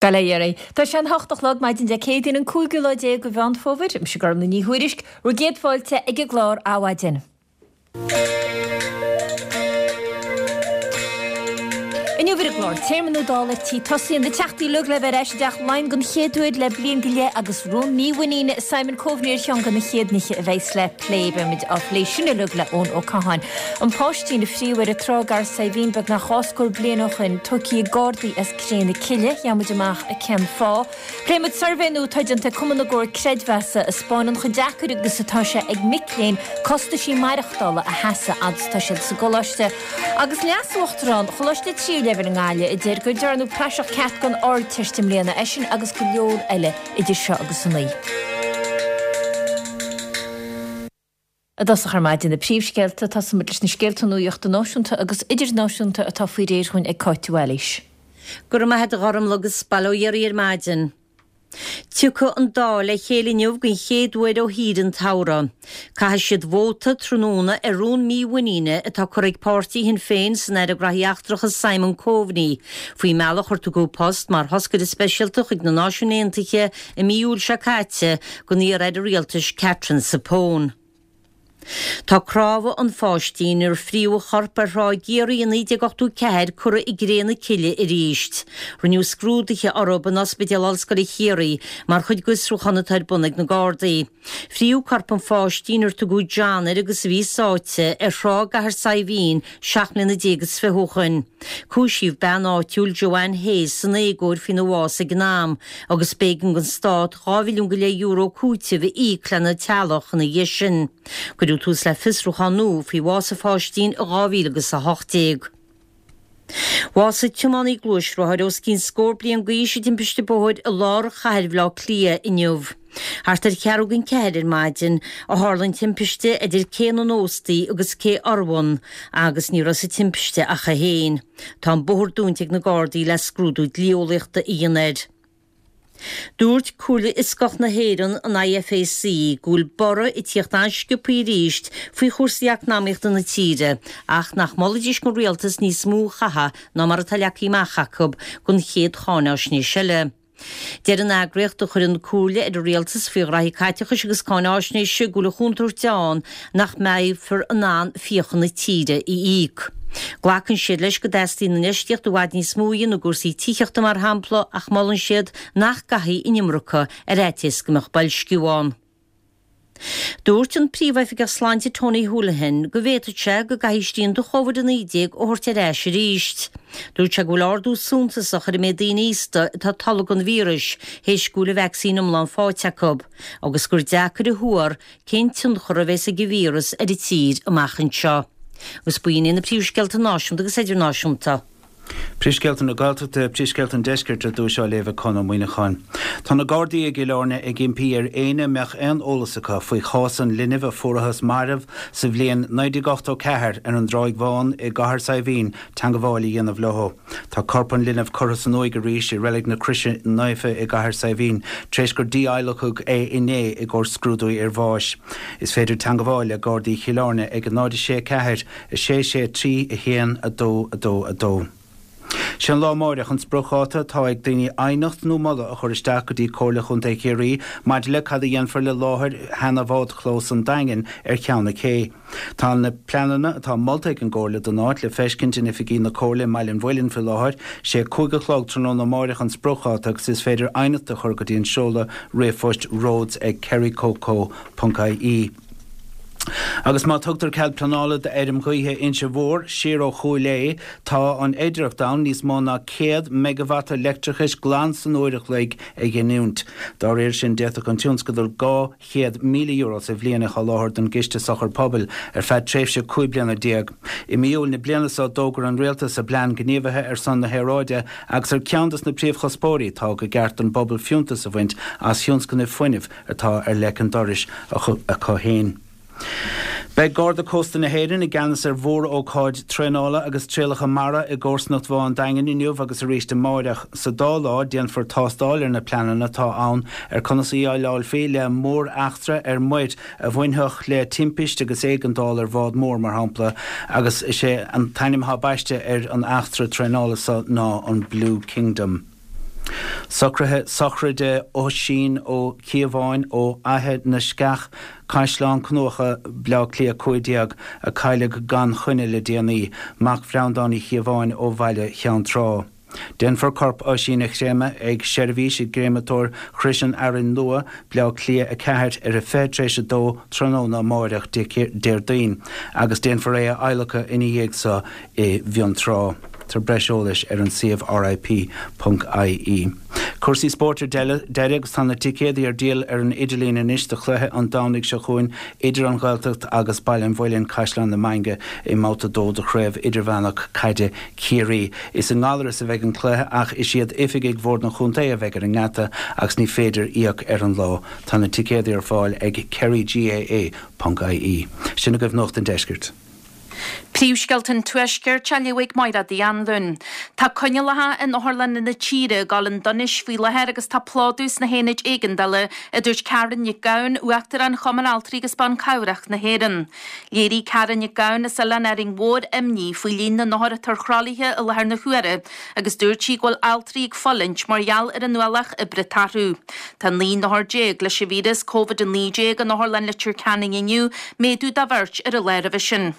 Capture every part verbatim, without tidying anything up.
Bail ó Dhia oraibh. Tá sé an hocht a chlog maidin Dé Céadaoin an cúigiú lá déag de Mheán Fómhair. Mise Gormlaith Ní Thuairisg, bhur gcéad fáilte ag an gclár Adhmhaidin. Inniu ar an gclár, téarma nua Dála ar tí tosaí, na teachtaí uilig le bheith ar ais i dTeach Laighean den chéad uair le bliain go leith agus rún mímhuiníne Simon Coveney ar cheann de na chéad nithe a bheas le plé. Beimid á phlé sin uilig le Eoin Ó Catháin. An páistín a fríodh ar an trá i gCathair Saidhbhín beagnach dhá scór bliain ó shoin, tógtha ag Gardaí as Cré na Cille. Gheobhaimid amach cén fáth. Pléimid suirbhé nua atá déanta ag Cumann na gComhar Creidmheasa a 'spáineann chomh deacair agus atá sé ag mic léinn costaisí maireachtála a sheasamh fhad is atá siad sa gcoláiste. Agus Leas-Uachtarán Choláiste Tríú Leibhéal i nGaillimh a deir go ndearnadh praiseach ceart den Ardteist i mbliana, é sin agus go leor eile idir seo agus a naoi. I dtosach ar maidin na príomhscéalta, tosóimid leis na scéalta nuachta náisiúnta agus idirnáisiúnta atá faoi réir dhúinn ag Cáit de Bhailís. Go raibh maith agat a Ghormlaith agus bail ó Dhia oraibh ar maidin. Tiocfaidh an Dáil le chéile inniu den chéad uair ó shaoire an tsamhraidh. Caithfidh siad vóta tráthnóna ar rún mímhuiníne atá curtha ag páirtí Shinn Féin san Aire Graithí Eachtracha Simon Coveney faoin mbealach ar tugadh post mar thoscaire speisialta chuig na Náisiúin Aontaithe i mí Iúil seo caite don iar-aire rialtais Catherine Zappone. Tá cnámha an pháistín ar fríodh a chorp ar thrá i gCiarraí i naoi déag ochtó ceathair curtha i gcré na cille arís. Rinneadh scrúduithe orthu in Ospidéal Ollscoile Chiarraí mar chuid d'fhiosrúchán atá ar bun ag na Gardaí. Fríodh corp an pháistín ar tugadh John air agus a bhí sáite ar thrá i gCathair Saidhbhín seacht mbliana déag is fiche ó shoin. Cúisíodh bean áitiúil Joanne Hayes san éagóir faoina bhás ag an am agus b'éigean don stát dhá mhilliún go leith euro cúitimh a íoc lena teaghlach ina dhiaidh sin. Cuireadh tús le fiosrúchán nua faoi bhás an pháistín i dhá mhíle agus a hocht déag. Bhásaigh tiománaí gluaisrothair os cionn scór bliain d'aois i dtimpiste bóthair i lár chathair Bhaile Átha Cliath inniu. Thart ar cheathrú don ceathair ar maidin a tharla an timpiste idir Cé na nÓstaí agus Cé Urmhumhan agus ní raibh sa timpiste ach é féin. Tá an bóthar dúnta ag na Gardaí le scrúdú dlí-eolaíochta a dhéanamh air. Dúirt Comhairle Fhioscach na hÉireann, an I F A C, go bhfuil borradh ag tíocht an-sciobthaí arís faoi chúrsaí eacnamaíochta na tíre ach nach molfaidís don rialtas níos mó a chaitheamh ná mar atá leagtha amach acu don chéad cháináisnéis eile. Deir an eagraíocht a chuireann comhairle ar an rialtas faoi ghraithí caiteachais agus cáináisnéise go bhfuil an chontúirt ann nach mbeifear in ann fiacha na tíre a íoc. Glacann siad leis go dteastaíonn infheistíocht i bhfad níos mó a dhéanamh i gcúrsaí tithíochta mar shampla ach molann siad nach gcaithfí an iomarca ar fhaitíos go mbeadh boilsciú ann. Dúirt an Príomhoifigeach Sláinte Tony Holohan go bhféadfadh sé go gcaithfí srianta Covid a naoi déag a thabhairt ar ais arís. Dúirt sé go bhfuil ardú suntasach ar an méid daoine aosta atá tolgtha don víreas théis go bhfuil an vacsaín iomlán faighte acu agus gur deacair a thuar cén tionchar a bheas ag an víreas ar an tír amach anseo. Agus b'in iad na príomhscéalta náisiúnta agus idirnáisiúnta. Príomhscéalta na Gaeltachta, Príomhscéalta an Deiscirt ar dtús á léamh ag Conn Ó Muíneacháin. Tá na Gardaí i gCill Airne ag impí ar éinne a mbeadh aon eolas acu faoi chás an linbh a fuarathas marbh sa bhliain naoi déag ochtó ceathair ar an dTráigh Bhán i gCathair Saidhbhín teagmháil a dhéanamh leo. Tá corp an linbh curtha san uaigh arís i Reilig na Croise Naofa i gCathair Saidhbhín tar éis gur dí-adhlacadh é inné i gcomhair scrúdú iarbháis. Is féidir teagmháil le Gardaí Chill Airne ag náid a sé ceathair a sé sé trí a haon a dó a dó a dó. Sé an lá amárach an spriocdháta atá ag daoine aighneacht nó moladh a chur isteach go dtí Comhairle Chontae Chiarraí maidir le cad a dhéanfar le láthair sheana-bhádchlós an Daingin ar Cheann na Cé. Tá na pleananna atá molta ag an gComhairle don áit le feiscint in oifigí na Comhairle i mBaile an Mhuilinn faoi láthair. Sé cúig a chlog tráthnóna amárach an spriocdháta agus is féidir aighneacht a chur go dtí an seoladh ríomhphoist roads ag kerrycoco ponc ie. Agus má tugtar cead pleanála d'fheirm ghaoithe Inse Mhór siar ó Chúil Aodha, tá an fhéidearthacht ann níos mó ná céad meigeavata leictreachais glan san uair a chloig a ghiniúint. Dá réir sin, d'fhéadfadh an tionscadal dhá chéad míle euro sa bhliain a sholáthar don gCiste Sochar Pobail ar feadh tréimhse cúig bliana déag. I mí Iúil na bliana seo d'fhógair an Rialtas a bplean gníomhaithe ar son na haeráide agus ar ceann de na príomhchuspóirí tá go gceart don bpobal fiúntas a bhaint as thionscnaimh fuinnimh atá ar leic an dorais acu féin. Beidh Garda Cósta na hÉireann i gceannas ar mhór-ócáid traenála agus trialacha mara i gcomharsanacht Bhá an Daingin inniu agus arís amárach. Sa dá lá déanfar tástáil ar na pleananna atá ann ar conas a dhéileálfaí le mór-eachtra ar muir a bhainfeadh le timpist agus éigeandáil ar bhád mór mar shampla agus is é an t-ainm atá baiste ar an eachtra traenála seo ná an Blue Kingdom. Socruithe sochraide Oisín Ó Cíobháin ó Fhaiche na Sceach, Caisleán Cnucha, Baile Átha Cliath a cúig déag, a cailleadh gan choinne le déanaí, mac Bhreandáin Uí Chíobháin ó Bhaile Cheann Trá. Déanfar corp Oisín a chréamadh ag seirbhís i gCréamatóir Chrois an Fhearainn Nua, Baile Átha Cliath a ceathair, ar a fiche tar éis a dó tráthnóna amáireach, Déardaoin, agus déanfar é a adhlacadh ina dhiaidh so i bhFionntrá. Tá breis eolais ar an suíomh R I P ponc I E. Cúrsaí spóirt ar deireadh agus tá na ticéadaí ar díol ar an idirlíon anois do chluiche an Domhnaigh seo chugainn idir an Ghaeltacht agus Baile an Mhuilinn, Caisleán na Mainge i mbabhta a dó de Chraobh Idirmheánach Caide Chiarraí. Is i nGallaras a bheidh an cluiche ach is iad oifigigh Bhord an Chontae a bheidh ar an ngeata agus ní féidir íoc ar an lá. Tá na ticéadaí ar fáil ag kerry G A A ponc I E. Sin agaibh Nuacht an Deiscirt. Príomhscéalta an Tuaiscirt á léamh ag Máire Uí Anluain. Tá coinníollacha in otharlanna na tíre ag dul chun donais faoi láthair agus tá plódú sna haonaid éigeandála, a dúirt Karen Nic Gabhann, Uachtarán Chumann Altraí agus Ban Cabhrach na hÉireann. Léirigh Karen Nic Gabhann as Oileán Árainn Mhór imní faoi líon na n-othar atá ar throlaithe i láthair na huaire agus dúirt sí go bhfuil altraí ag fulaingt mar gheall ar an ualach oibre atá orthu. Tá naoi n-othar déag leis an víreas Covid a naoi déag in Otharlann Leitir Ceanainn inniu, méadú de bheirt ar an lá roimhe sin.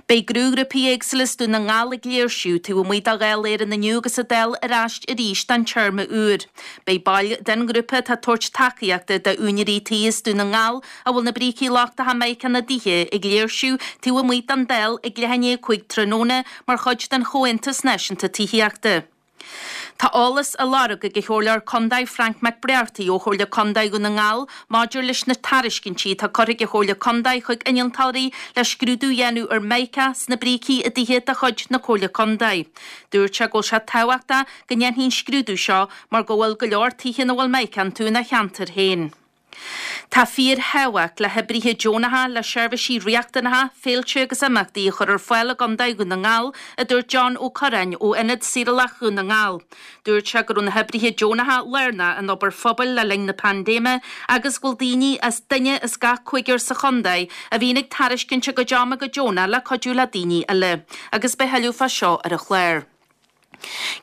Beidh gnóghrúpaí éagsúla as Dún na nGall ag léirsiú taobh amuigh de Dháil Éireann inniu agus an Dáil ar ais arís don téarma úr. Beidh baill den ghrúpa atá ag tabhairt tacaíochta d'úinéirí tí as Dún na nGall a bhfuil na brící lochtacha mica ina dtithe ag léirsiú taobh amuigh den Dáil ag leath i ndiaidh a cúig tráthnóna mar chuid den Chomhaontas Náisiúnta Tithíochta. Tá eolas á lorg ag an Chomhairleoir Contae Frank McBrearty ó Chomhairle Contae Dhún na nGall maidir leis na tairiscintí atá curtha ag an Chomhairle Contae chuig innealtóirí le scrúdú a dhéanamh ar mica sna brící i dtithe de chuid na Comhairle Contae. Dúirt sé go bhfuil sé tábhachtach go ndéanfaí an scrúdú seo mar go bhfuil go leor tithe ina bhfuil mica iontu ina cheantar féin. Tá fíorthábhacht le hoibrithe deonacha le seirbhísí riachtanacha, féilte agus imeachtaí a chur ar fáil i gContae Dhún na nGall, a dúirt John Ó Curráin ó Ionad Saorálach Dhún na nGall. Dúirt sé go raibh na hoibrithe deonacha lárnach in obair phobail le linn na paindéime agus go bhfuil daoine as duine as gach cúigear sa chontae a bhíonn ag tairiscint a gcuid ama go deonach le cuidiú le daoine eile, agus beidh tuilleadh fá seo ar an chlár.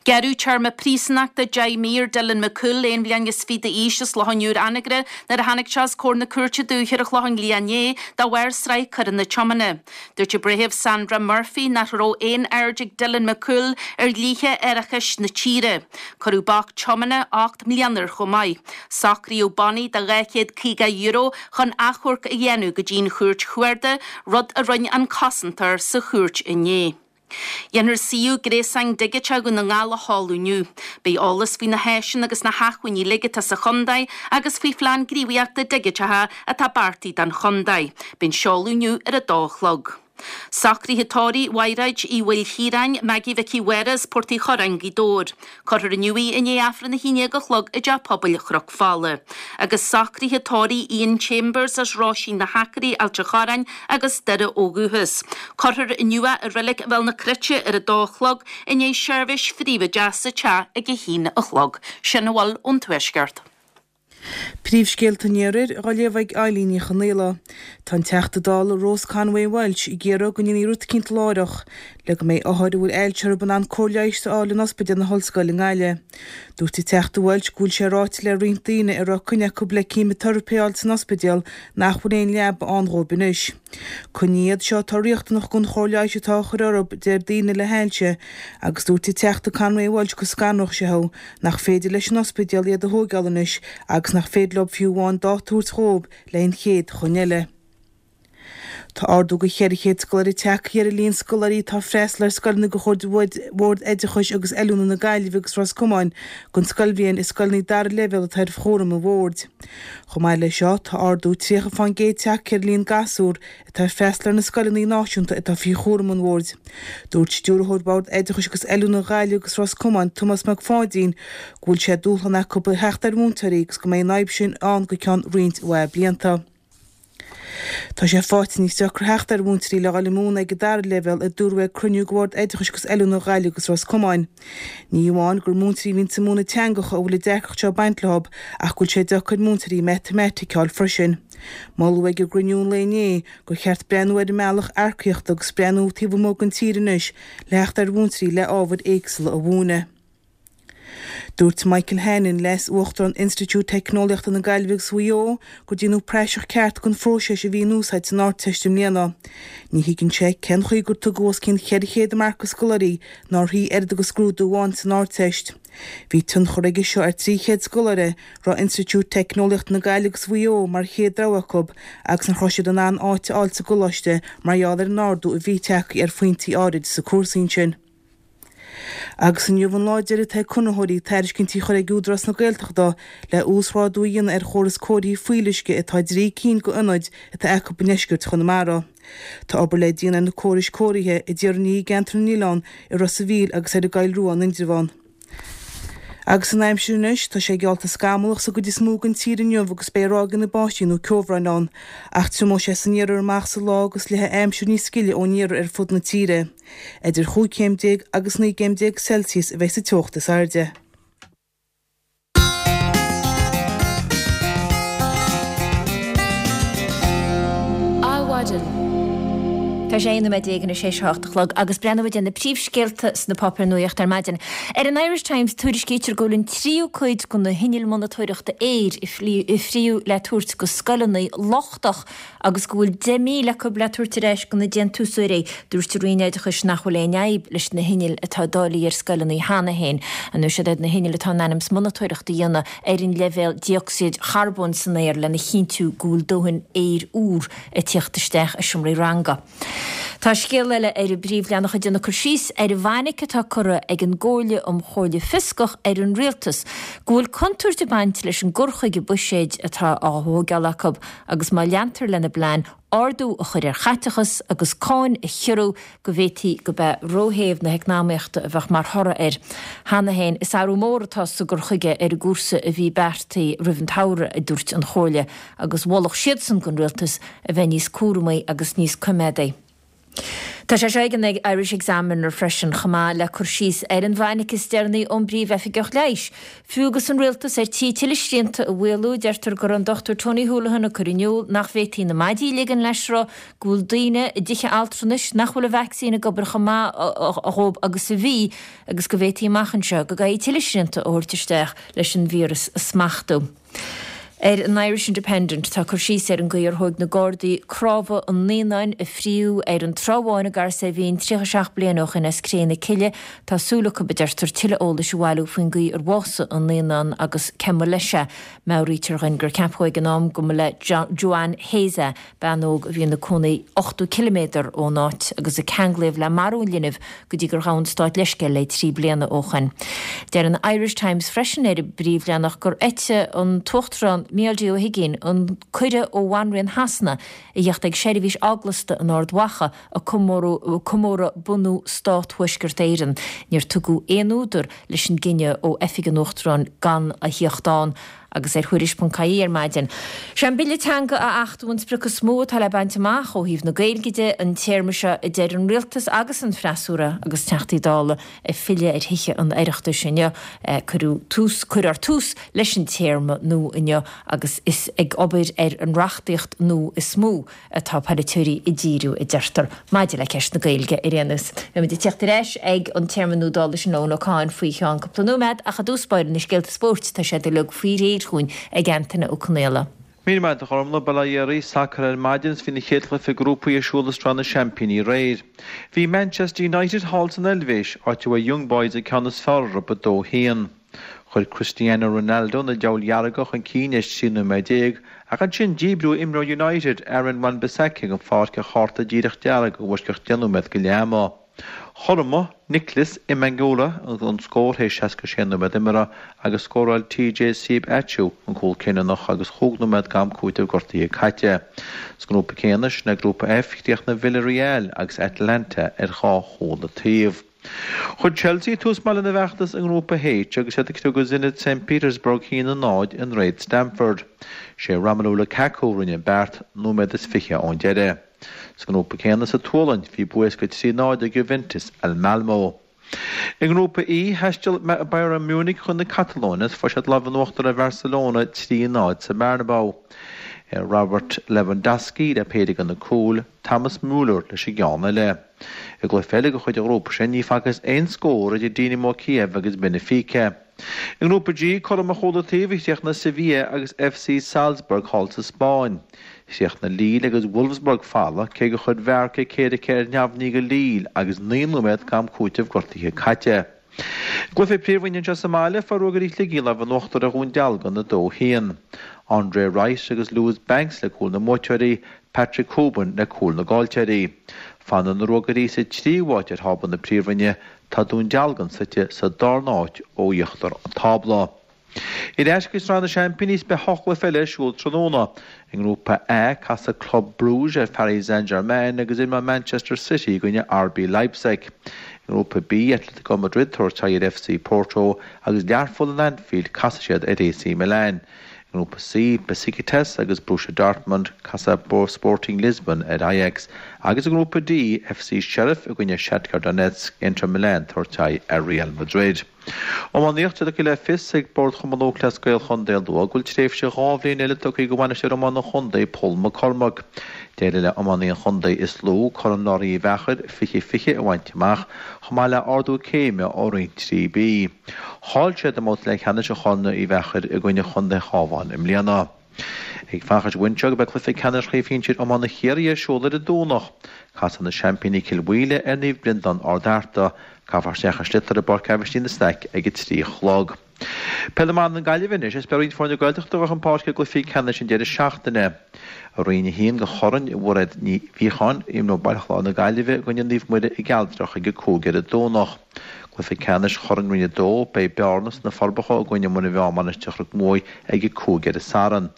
Gearradh téarma príosúnachta deich mí ar Dylan McCool aon bhliain is fiche d'aois as Loch an Iúir Anagaire nuair a tháinig sé os comhair na cúirte dúiche ar an Chlochán Liath inné de bharr sraith coireanna tiomána. Dúirt an Breitheamh Sandra Murphy nach raibh aon aird ag Dylan McCool ar dhlíthe árachais na tíre. Cuireadh bac tiomána ocht mbliana air chomh maith. Socraíodh bannaí de dhá chéad caoga euro chun achomharc a dhéanamh go dtí an chúirt chuarda, rud a rinne an cosantóir sa chúirt inné. Déanfar suíomh gréasáin digiteach Dhún na nGall a sheoladh inniu. Beidh eolas faoi na háiseanna agus na hacmhainní uilig atá sa chontae agus faoi phlean gníomhaíochta digiteacha atá beartaithe don chontae. Beidh an seoladh inniu ar a dó a chlog. Socruithe tórraimh Mhaighréid Uí Mhaoilchiaráin, Maggie Mhicí Mháire as Port Uí Chorráin, Gaoth Dobhair. Cuirfear inniu í i ndiaidh Aifreann a haon déag a chlog i dTeach Pobail Chnoc Fola. Agus socruithe tórraimh Ian Chambers as Roisín na hAcairí, Ailt an Chorráin agus Doire ó dhúchas. Cuirfear inniu é i Reilig Bhéal na Cruite ar a dó a chlog i ndiaidh seirbhís phríobháideach sa teach ag a haon a chlog. Sin a bhfuil ón Tuaisceart. Príomhscéalta an Iarthair á léamh ag Eileen Ní Chonghaile. Tá an Teachta Dála Rose Conway Walsh ag iarraidh go ndéanfaí rud eicínt láithreach le go mbeidh othair a bhfuil ailse orthu in ann cóir leighis a fháil in Ospidéal na hOllscoile i nGaillimh. Dúirt an Teachta Walsh go bhfuil sé ráite le roinnt daoine a raibh coinne acu le ceimiteiripe a fháil san ospidéal nach bhfuil aon leaba ann dhóibh anois. Coinní iad seo atá riachtanach don chóir leighis atá á chur orthu deir daoine le hailse agus dúirt an Teachta Conway Walsh go scanródh sé thú nach féidir leis an ospidéal iad a thógáil anois agus nach féidir leo fiú amháin dáta a thabhairt dhóibh le an chéad choinne eile. Tá ardú de cheithre chéad scoláire tagtha ar an líon scoláirí atá ag freastal ar scoileanna de chuid Bhord Oideachais agus Oiliúna na Gaillimhe agus Ros Comáin don scoilbhliain i scoileanna dara leibhéal atá ar chúram an bhoird. Chomh maith leis seo tá ardú tríocha faoin gcéad tagtha ar líon gasúr atá ag freastal ar na scoileanna náisiúnta atá faoi chúram an bhoird. Dúirt Stiúrthóir Bhord Oideachais agus Oiliúna Gaillimh agus Ros Comáin Tomás Mac Pháidín go bhfuil sé dúshlán acu theacht ar mhúinteoirí agus go mbeidh an fhadhb sin ann go ceann roinnt mhaith blianta. Tá sé faighte níos deacra theacht ar mhúinteoirí le dhul i múineadh ag an dara leibhéal a dúradh ag cruinniú de Bhord Oideachais agus Oiliúna Ghaillimh agus Ros Comáin. Ní amháin gur múinteoirí a bhíonn ag múineadh teangacha a bhfuil an deacracht seo ag baint leo ach go bhfuil sé deacair múinteoirí matamaitic a fháil freisin. Moladh ag an gcruinniú an lae inné gur cheart breathnú ar an mbealach earcaíochta agus breathnú taobh amuigh den tír anois le theacht ar mhúinteoirí le ábhair éagsúla a mhúineadh. Dúirt Michael Hannon, Leas-Uachtarán Institiúid Teicneolaíochta na Gaillimhe agus Mhaigh Eo, gur déanadh praiseach ceart den phróiseas a bhí in úsáid san Ardteist i mbliana. Ní thuigeann sé cén chaoi gur tugadh os cionn cheithre chéad marc do scoláirí nár shuigh oiread agus scrúdú amháin san Ardteist. Bhí tionchar aige seo ar trí chéad scoláire a raibh Institiúid Teicneolaíochta na Gaillimhe agus Mhaigh Eo mar chéad rogha acu agus nach raibh siad in ann áit a fháil sa gcoláiste mar gheall ar an ardú a bhí tagtha ar phointí áirid sa cúrsa sin. Agus inniu an lá deiridh atá ag conraitheoirí tairiscintí a chur ag Údarás na Gaeltachta le uasghrádú a dhéanamh ar chóras cóirithe fuíolluisce atá i dtrí cinn d'ionaid atá acu i ndeisceart Chonamara. Tá obair le déanamh ar na córais cóirithe i dTír an Fhia i gCeantar na nOileán, i Ros a' Mhíl agus ar an gCoill Rua in Indreabhán. Agus an aimsir anois, tá sé geallta scamallach sa gcuid is mó den tír inniu agus beidh ráigeanna báistí nó ceobhráin ann, ach triomóidh sé san iarthar amach sa lá agus luífidh aimsir níos gile ón iarthar ar fud na tíre. Idir chúig chéim déag agus naoi gcéim déag Celsius a bheidh sa teocht is airde. Adhmhaidin. Tá sé aon nóiméad déag anois théis a hocht a chlog agus breathnóimid ar na príomhscéalta sna páipéir nuachta ar maidin. Ar an Irish Times tuairiscítear go bhfuil an tríú cuid de na hinnill monatóireachta aeir a fríodh le tabhairt go scoileanna lochtach agus go bhfuil deich míle acu le tabhairt ar ais go na déantúsóirí. Dúirt an Roinn Oideachais nach bhfuil aon fhadhb leis na hinnill atá dáilithe ar scoileanna cheana féin. Ar ndóigh siad na hinnill atá in ainm is monatóireacht a dhéanamh ar an leibhéal dé-ocsaíd charbóin san aer lena chinntiú go bhfuil dóthain aeir úr ag tíocht isteach i seomraí ranga. Tá scéal eile ar an bpríomhleathanach ag déanamh cur síos ar an bhfainic atá curtha ag an gComhairle um Chomhairle Fioscach ar an Rialtas go bhfuil contúirt ag baint leis an gcur chuige buiséid atá á thógáil acu agus má leantar lena bplean ardú a chur ar chaiteachas agus cáin a chiorrú go bhféadfaí gurb é róthéamh na heacnamaíochta a bheadh mar thoradh air. Cheana féin, is athrú mór atá sa gcur chuige ar an gcúrsa a bhí beartaithe roimh an tsamhradh, a dúirt an Chomhairle, agus mholfadh siadsan don Rialtas a bheith níos cúramaí agus níos coimeádaí. Tá sé seo ag an Irish Examiner freisin, chomh maith le cur síos ar an bhfainic is deireanaí ón bPríomh-Oifigeach Leighis. Fiú agus an Rialtas ar tí tuilleadh srianta a mhaolú, deirtear go raibh an Dochtúir Tony Holohan ag cur in iúl nach bhféadfaí na maidí a ligean le sruth, go bhfuil daoine i dtithe altranais nach bhfuil an vacsaín ag obair chomh maith dhóibh agus a bhí, agus go bhféadfaí amach anseo go gcaithfí tuilleadh srianta a thabhairt isteach leis an víreas a smachtú. Ar an Irish Independent tá cur síos ar an gcaoi ar thóig na Gardaí cnámha an naíonáin a fríodh ar an Trá Bháin i gCarraig Saidhbhín tríocha seacht bliain ó shin as cré na cille. Tá súil acu, a deirtear, tuilleadh eolais a bhailiú faoin gcaoi ar bhásaigh an naíonán agus cé mba leis é. Meabhraítear dhuinn gur ceapadh ag an am go mba le Joanne Hayes é, bean óg a bhí ina cónaí ochtó ciliméadar ón áit agus a ceanglaíodh le marú an linbh go dtí gur ghabh an Stát leithscéal léi trí bliana ó shin. Deir an Irish Times freisin ar an bpríomhleathanach gur eitigh an tUachtarán Micheál D Ó hUigínn an cuireadh ó Bhanríon Shasana a theacht ag seirbhís eaglasta in Ard Mhacha ag comóradh bunú Stát Thuaisceart Éireann. Níor tugadh aon údar leis an gcinneadh ó Oifig an Uachtaráin gan a theacht ann agus ar Thuairisc ponc ie ar maidin. Sé an Bille Teanga a achtú an sprioc is mó atá le baint amach ó thaobh na Gaeilge de an téarma seo a deir an Rialtas agus an freasúra agus Teachtaí Dála ag filleadh ar Thithe an Oireachtais inniu. Cuireadh tús, cuirfear tús leis an téarma nua inniu agus is ag obair ar an reachtaíocht nua is mó atá polaiteoirí ag díriú, a deirtear, maidir le ceist na Gaeilge ar aon nós. Beimid ag tíocht ar ais ag an téarma nua Dála sin le Eoin Ó Cadhain faoi cheann cúpla nóiméad ach i dtús báire na scéalta spóirt tá siad uilig faoi réir chugainn ag Antaine Ó Conaola. Míle maith agat a Ghormfhlaith, bail ó Dhia oraibh, sacar ar maidin is bhí na chéad chluiche grúpaí ar siúl i Sraith na Seaimpíní aréir. Bhí Manchester United thall san Eilvéis, áit a bhfuair Young Boys an ceann is fearr orthu a dó haon. Chuir Cristiano Ronaldo na Diabhail Dhearga chun cinn théis trí nóiméad déag, ach ansin díbríodh imreoir United, Aaron Wan-Bissaka den pháirc ar chárta díreach dearg i bhfoisceacht deich nóiméad go leath ama. Chothromaigh Nicolas Mbangula an scór théis seasca sé nóiméad imeartha agus scóráil T J Siebatcheu an cúl cinniúnach agus chúig nóiméad d'am cúitimh gortaithe caite. Sa ngrúpa céanna, sin é Grúpa F, chríochnaigh Villarreal agus Atalanta ar dhá chúl an taobh. Chuir Chelsea tús maith lena bhfeachtas i nGrúpa H agus iad ag criogadh Zenit Saint Petersburg a haon a náid in Réad Stamford. Sé Romelu Lukaku a rinne an beart, nóiméad is fiche ón deireadh. Sa ngrúpa céanna sa tSualainn, bhí bua éasca trí náid ag Juventus ar Malmo. I nGrúpa E, thaistil Bayern Munich chun na Catalóine is fuair siad lámh in uachtar ar Bharcelona trí náid sa mBernabeu. Robert Lewandowski le péire de na cúil, Thomas Müller leis an gceann eile. I gcluiche eile de chuid an ghrúpa sin, ní facthas aon scór idir Dynamo Kiev agus Benfica. I nGrúpa G, cothrom ar chúl an taobh a chríochnaigh Sevilla agus FC Salzburg thall sa Spáinn. Chríochnaigh Lille agus Wolfsburg folamh, cé gur chuir Bjarke Kjærikke ar neamhní do Lille agus naoi nóiméad d'am cúitimh gortaithe caite. I gcluiche Príomhroinne anseo sa mbaile, fuair Ruagairí Shligigh an lámh in uachtar ar Dhún Dealgan a dó a haon. Andre Wright agus Lewis Banks le cúil na mbuaiteoirí, Patrick Hoban le cúl na gcaillteoirí. Fanann na Ruagairí sa tríú háit ar thábla na Príomhroinne, tá Dún Dealgan suite sa darna háit ó íochtar an tábla. Ar ais go Sraith na Seaimpíní is beidh ocht gcluiche eile ar siúl tráthnóna. I nGrúpa A, casfaidh Club Brugge ar Paris Saint-Germain agus imreoidh Manchester City i gcoinne RB Leipzig. I nGrúpa B, Atletico Madrid tabhairt aghaidh ar FC Porto agus Learpholl in Anfield casfaidh siad ar AC Milan. I nGrúpa C, Besiktas agus Borussia Dortmund, casfaidh Sporting Lisbon ar Ajax agus i nGrúpa D, FC Sheriff i gcoinne Shakhtar Donetsk, Inter Milan tabhairt aghaidh ar Real Madrid. Iománaíocht, Tugtha le fios ag Bord Chumann Lúthchleas Gael Chontae an Lú go bhfuil tréimhse dhá bhliain eile tugtha do bhainisteoir iomána an chontae, Pól McCormack. D'éirigh le iománaí an chontae is lú, Corn Learaí Uí Mheachair, fiche fiche a bhaint amach, chomh maith le ardú céime ó Roinn trí B. Chaill siad i mbabhta leathcheannais an Chorn Uí Mheachair i gcoinne Chontae an Chabháin i mbliana. Ag fanacht anseo go beidh cluiche ceannais Chraobh Shinsir Iomána Chiarraí ar siúl ar an Domhnach. Casfaidh na seaimpíní Cill Mhaoile ar Naomh Breandán Ard Fhearta. Caithfear isteach an sliotar i bPáirc Aibhistín na Staic ag a trí a chlog. Peil na mBan na Gaillimhe anois is beidh roinnt foirne Gaeltachta ag dul chun páirce i gcluichí ceannais an deireadh seachtaine. I Roinn a haon de Chorn Mhairéad Ní Mhíocháin, imreoidh Baile Chláir na Gaillimhe i gcoinne Naomh Muire i gCealtrach ag a cúig ar an Domhnach. Cluiche ceannais Chorn Roinn a dó, beidh Bearna sna Forbacha i gcoinne Muine Mheá Mainistir Chnoc Muaidh ag a cúig ar an Satharn.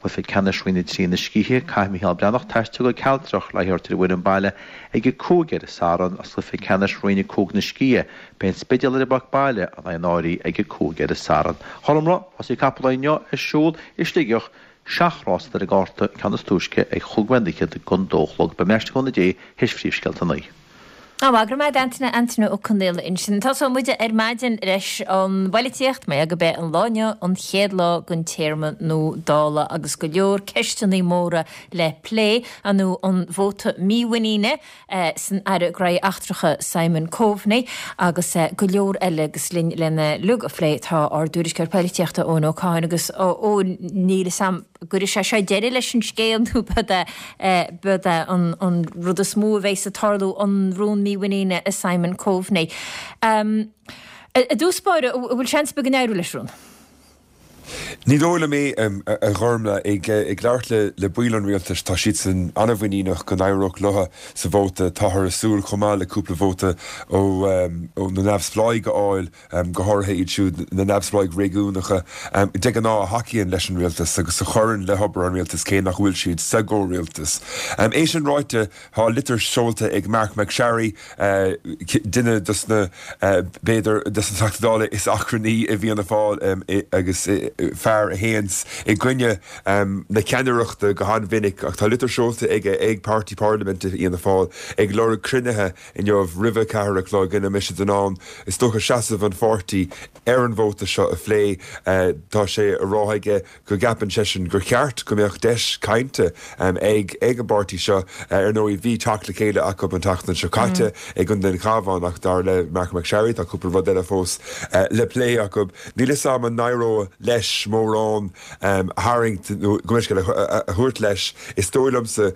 Cluiche ceannais Roinn a trí na Scíthe, caithfidh Micheál Breathnach taisteal go Cealtrach le haghaidh ar an bhfoireann baile ag a cúig ar an Satharn agus cluiche ceannais Roinn a cúig na Scíthe, beidh an Spidéal ar an bpáirc baile in aghaidh an Áirí ag a cúig ar an Satharn. Chormra, Rásaí Capall inniu ar siúl i Sligeach, seacht rás ar an gcárta, ceann is túisce ag chúig nóiméad fhichead don dó a chlog. Beidh mé ar ais le cúnamh Dé théis phríomhscéalta a naoi. Á, go raibh maith agat Antaine, Antaine Ó Conaola ansin. Tosóidh muid ar maidin leis an bpolaitíocht, mar gurb é an lá inniu an chéad lá den téarma nua Dála agus go leor ceisteanna móra le plé, nó an vóta mímhuiníne san Aire Gnóthaí Eachtracha Simon Coveney agus go leor eile agus linn lena uilig a phlé tá ár dtuairisceoir polaitíochta Eoin Ó Catháin agus Eoin níl a fhios agam an gcuirfidh sé seo deireadh leis an scéal nó b'é an rud is mó a bheidh ag tarlú an rún mímhuiníne i Simon Coveney. Um, I dtús báire bhfuil seans go n-éireoidh leis rún? Ní dóigh liom é a Ghormfhlaith ag ag labhairt le le baill an rialtais tá siadsan an-mhuiníneach go n-éireoidh leo sa vóta táthar ag súil chomh maith le cúpla vóta ó ó na neamhspleáigh a fháil go háirithe iad siúd na neamhspleáigh réigiúnacha de ghnáth a thacaíonn leis an rialtas agus a chuireann le hobair an rialtais cé nach bhfuil siad sa gcomhrialtas. É sin ráite tá litir seolta ag Marc MacSharry duine dos na b'fhéidir dos na Teachtaí Dála is achrannaí i bhFianna Fáil agus fear a théann i gcoinne na ceannaireachta go han-mhinic ach tá litir seolta aige ag Páirtí Parlaiminte Fhianna Fáil ag lorg cruinnithe inniu roimh a ceathair a chlog ina mbeidh siad in ann is dócha seasamh an pháirtí ar an vóta seo a phlé tá sé á rá aige go gceapann seisean gur cheart go mbeadh deis cainte ag ag an bpáirtí seo ar ndóigh bhí teacht le chéile acu an tseachtain seo caite ag an den Chabhán ach dar le Marc MacSharry tá cúpla rud eile fós le plé acu. Níl a fhios agam an n-éireoidh leis mórán a tharraingt nó go a thabhairt leis is dóigh liomsa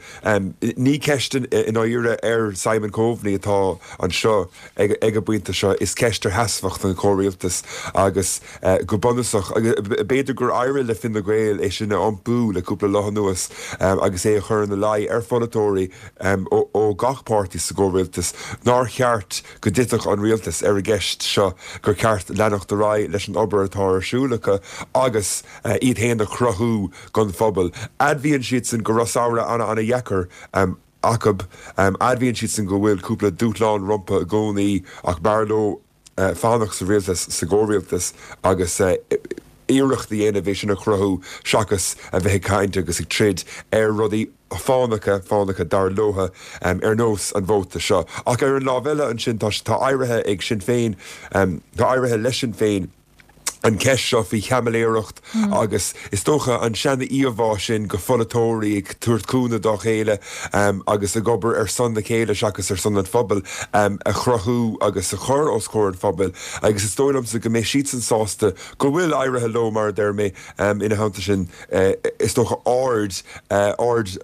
ní ceist i ndáiríre ar Simon Coveney atá anseo ag ag an bpointe seo is ceist ar sheasmhacht an chomhrialtais agus go bunúsach b'fhéidir gur éirigh le Fine Gael é sin a iompú le cúpla lá anuas agus é a chur ina luí ar pholaiteoirí ó gach páirtí sa gcomhrialtas nár cheart go dtitfeadh an rialtas ar an gceist seo gur ceart leanacht ar aghaidh leis an obair atá ar siúl acu agus iad féin a chruthú don phobal. Admhaíonn siadsan go raibh samhradh an-an-dheacair acu, admhaíonn siadsan go bhfuil cúpla dúshlán rompu i gcónaí ach b'fhearr leo fanacht sa rialtas sa gcomhrialtas agus iarracht a dhéanamh é sin a chruthú seachas a bheith ag caint agus ag troid ar rudaí fánacha fánacha dar leo ar nós an vóta seo. Ach ar an lámh eile ansin tá tá éirithe ag Sinn Féin tá éirithe leis Sinn Féin an cheist seo faoi chaimiléireacht agus is dócha an sean-íomhá sin de pholaiteoirí ag tabhairt cúnamh dá chéile agus ag obair ar son a chéile seachas ar son an phobail a chruthú agus a chur os comhair an phobail agus is dóigh liomsa go mbeidh siadsan sásta go bhfuil éirithe leo mar a deir mé ina theannta sin is dócha aird aird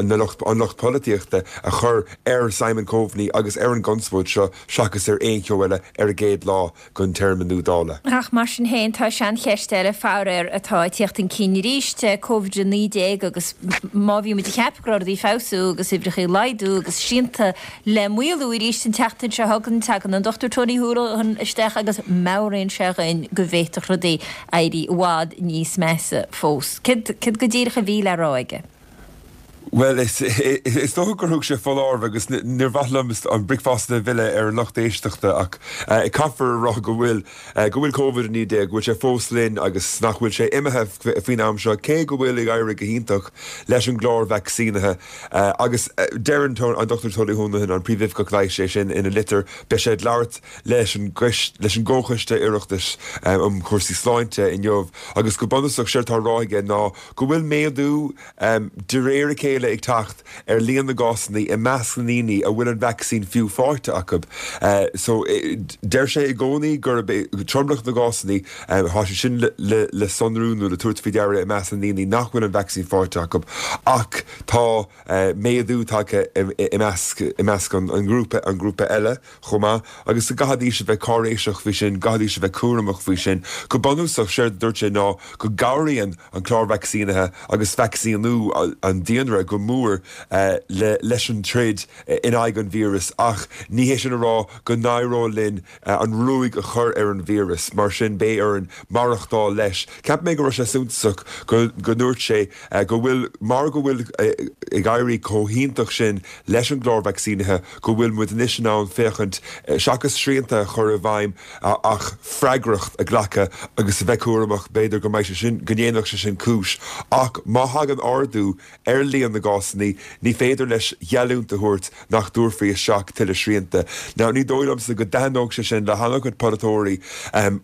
na lucht an lucht polaitíochta a chur ar Simon Coveney agus ar an gconspóid seo seachas ar aon cheo eile ar an gcéad lá den téarma nua Dála. Ach mar sin féin, tá seancheist eile, faraor, atá ag tíocht chun cinn arís, Covid a naoi déag agus má bhí muid ag ceapadh go raibh rudaí ag feabhsú agus uimhreacha ag laghdú agus srianta le maolú arís an tseachtain seo chugainn, tagann an Dochtúir Tony Holohan isteach agus meabhraíonn sé dhuinn go bhféadfadh rudaí éirí i bhfad níos measa fós. Céard go díreach a bhí le rá aige? Bhuel, is dócha gur thug sé foláireamh agus níor mhaith liom an bricfeasta a mhilleadh ar an lucht éisteachta ach caithfear a rá go bhfuil go bhfuil Covid a naoi déag, go bhfuil sé fós linn agus nach bhfuil sé imithe faoin am seo, cé go bhfuil ag éirí go hiontach leis an gclár vacsaínithe. Agus deir an Dochtúir Tony Holohan, an Príomhoifigeach Leighis, é sin ina litir, beidh sé ag labhairt leis an leis an gComhchoiste Oireachtais um Chúrsaí Sláinte inniu agus go bunúsach séard atá á rá aige ná go bhfuil méadú de réir a chéile ag teacht ar líon na gcásanna i measc na ndaoine a bhfuil an vacsaín fiú faighte acu. So deir sé i gcónaí gurb é tromlach na gcásanna, tá sé sin le sonrú nó le tabhairt faoi deara i measc na ndaoine nach bhfuil an vacsaín faighte acu ach tá méadú tagtha i measc i measc an ghrúpa an ghrúpa eile chomh maith agus go gcaithfidís a bheith cáiréiseach faoi sin, gcaithfidís a bheith cúramach faoi sin. Go bunúsach, séard a dúirt sé ná go gcabhraíonn an clár vacsaínithe agus vacsaíniú an daonra go mór leis an troid in aghaidh an víreas ach ní hé sin a rá go n-éireoidh linn an ruaig a chur ar an víreas, mar sin beidh orainn maireachtáil leis. Cheap mé go raibh sé suntasach go ndúirt sé go bhfuil, mar go bhfuil ag éirí chomh hiontach sin leis an gclár vacsaínithe, go bhfuil muid anois in ann féachaint, seachas srianta a chur i bhfeidhm ach freagracht a ghlacadh agus a bheith cúramach, b'fhéidir go mbeidh sé sin, go ndéanfadh sé sin cúis. Ach má thagann ardú ar líon na gcásanna, ní féidir leis geallúint a thabhairt nach dtabharfaí isteach tuilleadh srianta. Now, ní dóigh liomsa go dtaitneodh sé sin le han-chuid polaiteoirí.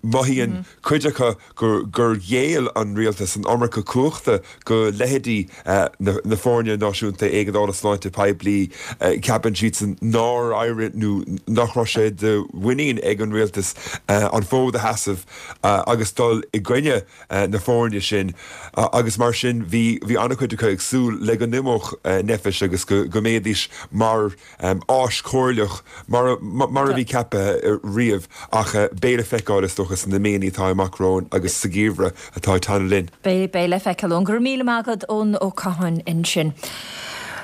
Mothaíonn cuid acu gur ghéill an rialtas an iomarca cumhachta go leithéidí na Foirne Náisiúnta Éigeandála Sláinte Poiblí. Ceapann siadsan nár éirigh nó nach raibh sé de mhuinín ag an rialtas an fód a sheasamh agus dul i gcoinne na foirne sin agus mar sin bhí bhí an-chuid acu ag súil le go n-imeodh Nphet agus go go mbeidís mar áis chomhairleach mar mar a bhí ceaptha riamh ach beidh le feiceáil is dócha sna míonna atá amach romhainn agus sa gheimhreadh atá ag teannadh linn. Beidh beidh le feiceáil. Eoin, go raibh míle maith agat Eoin Ó Catháin ansin.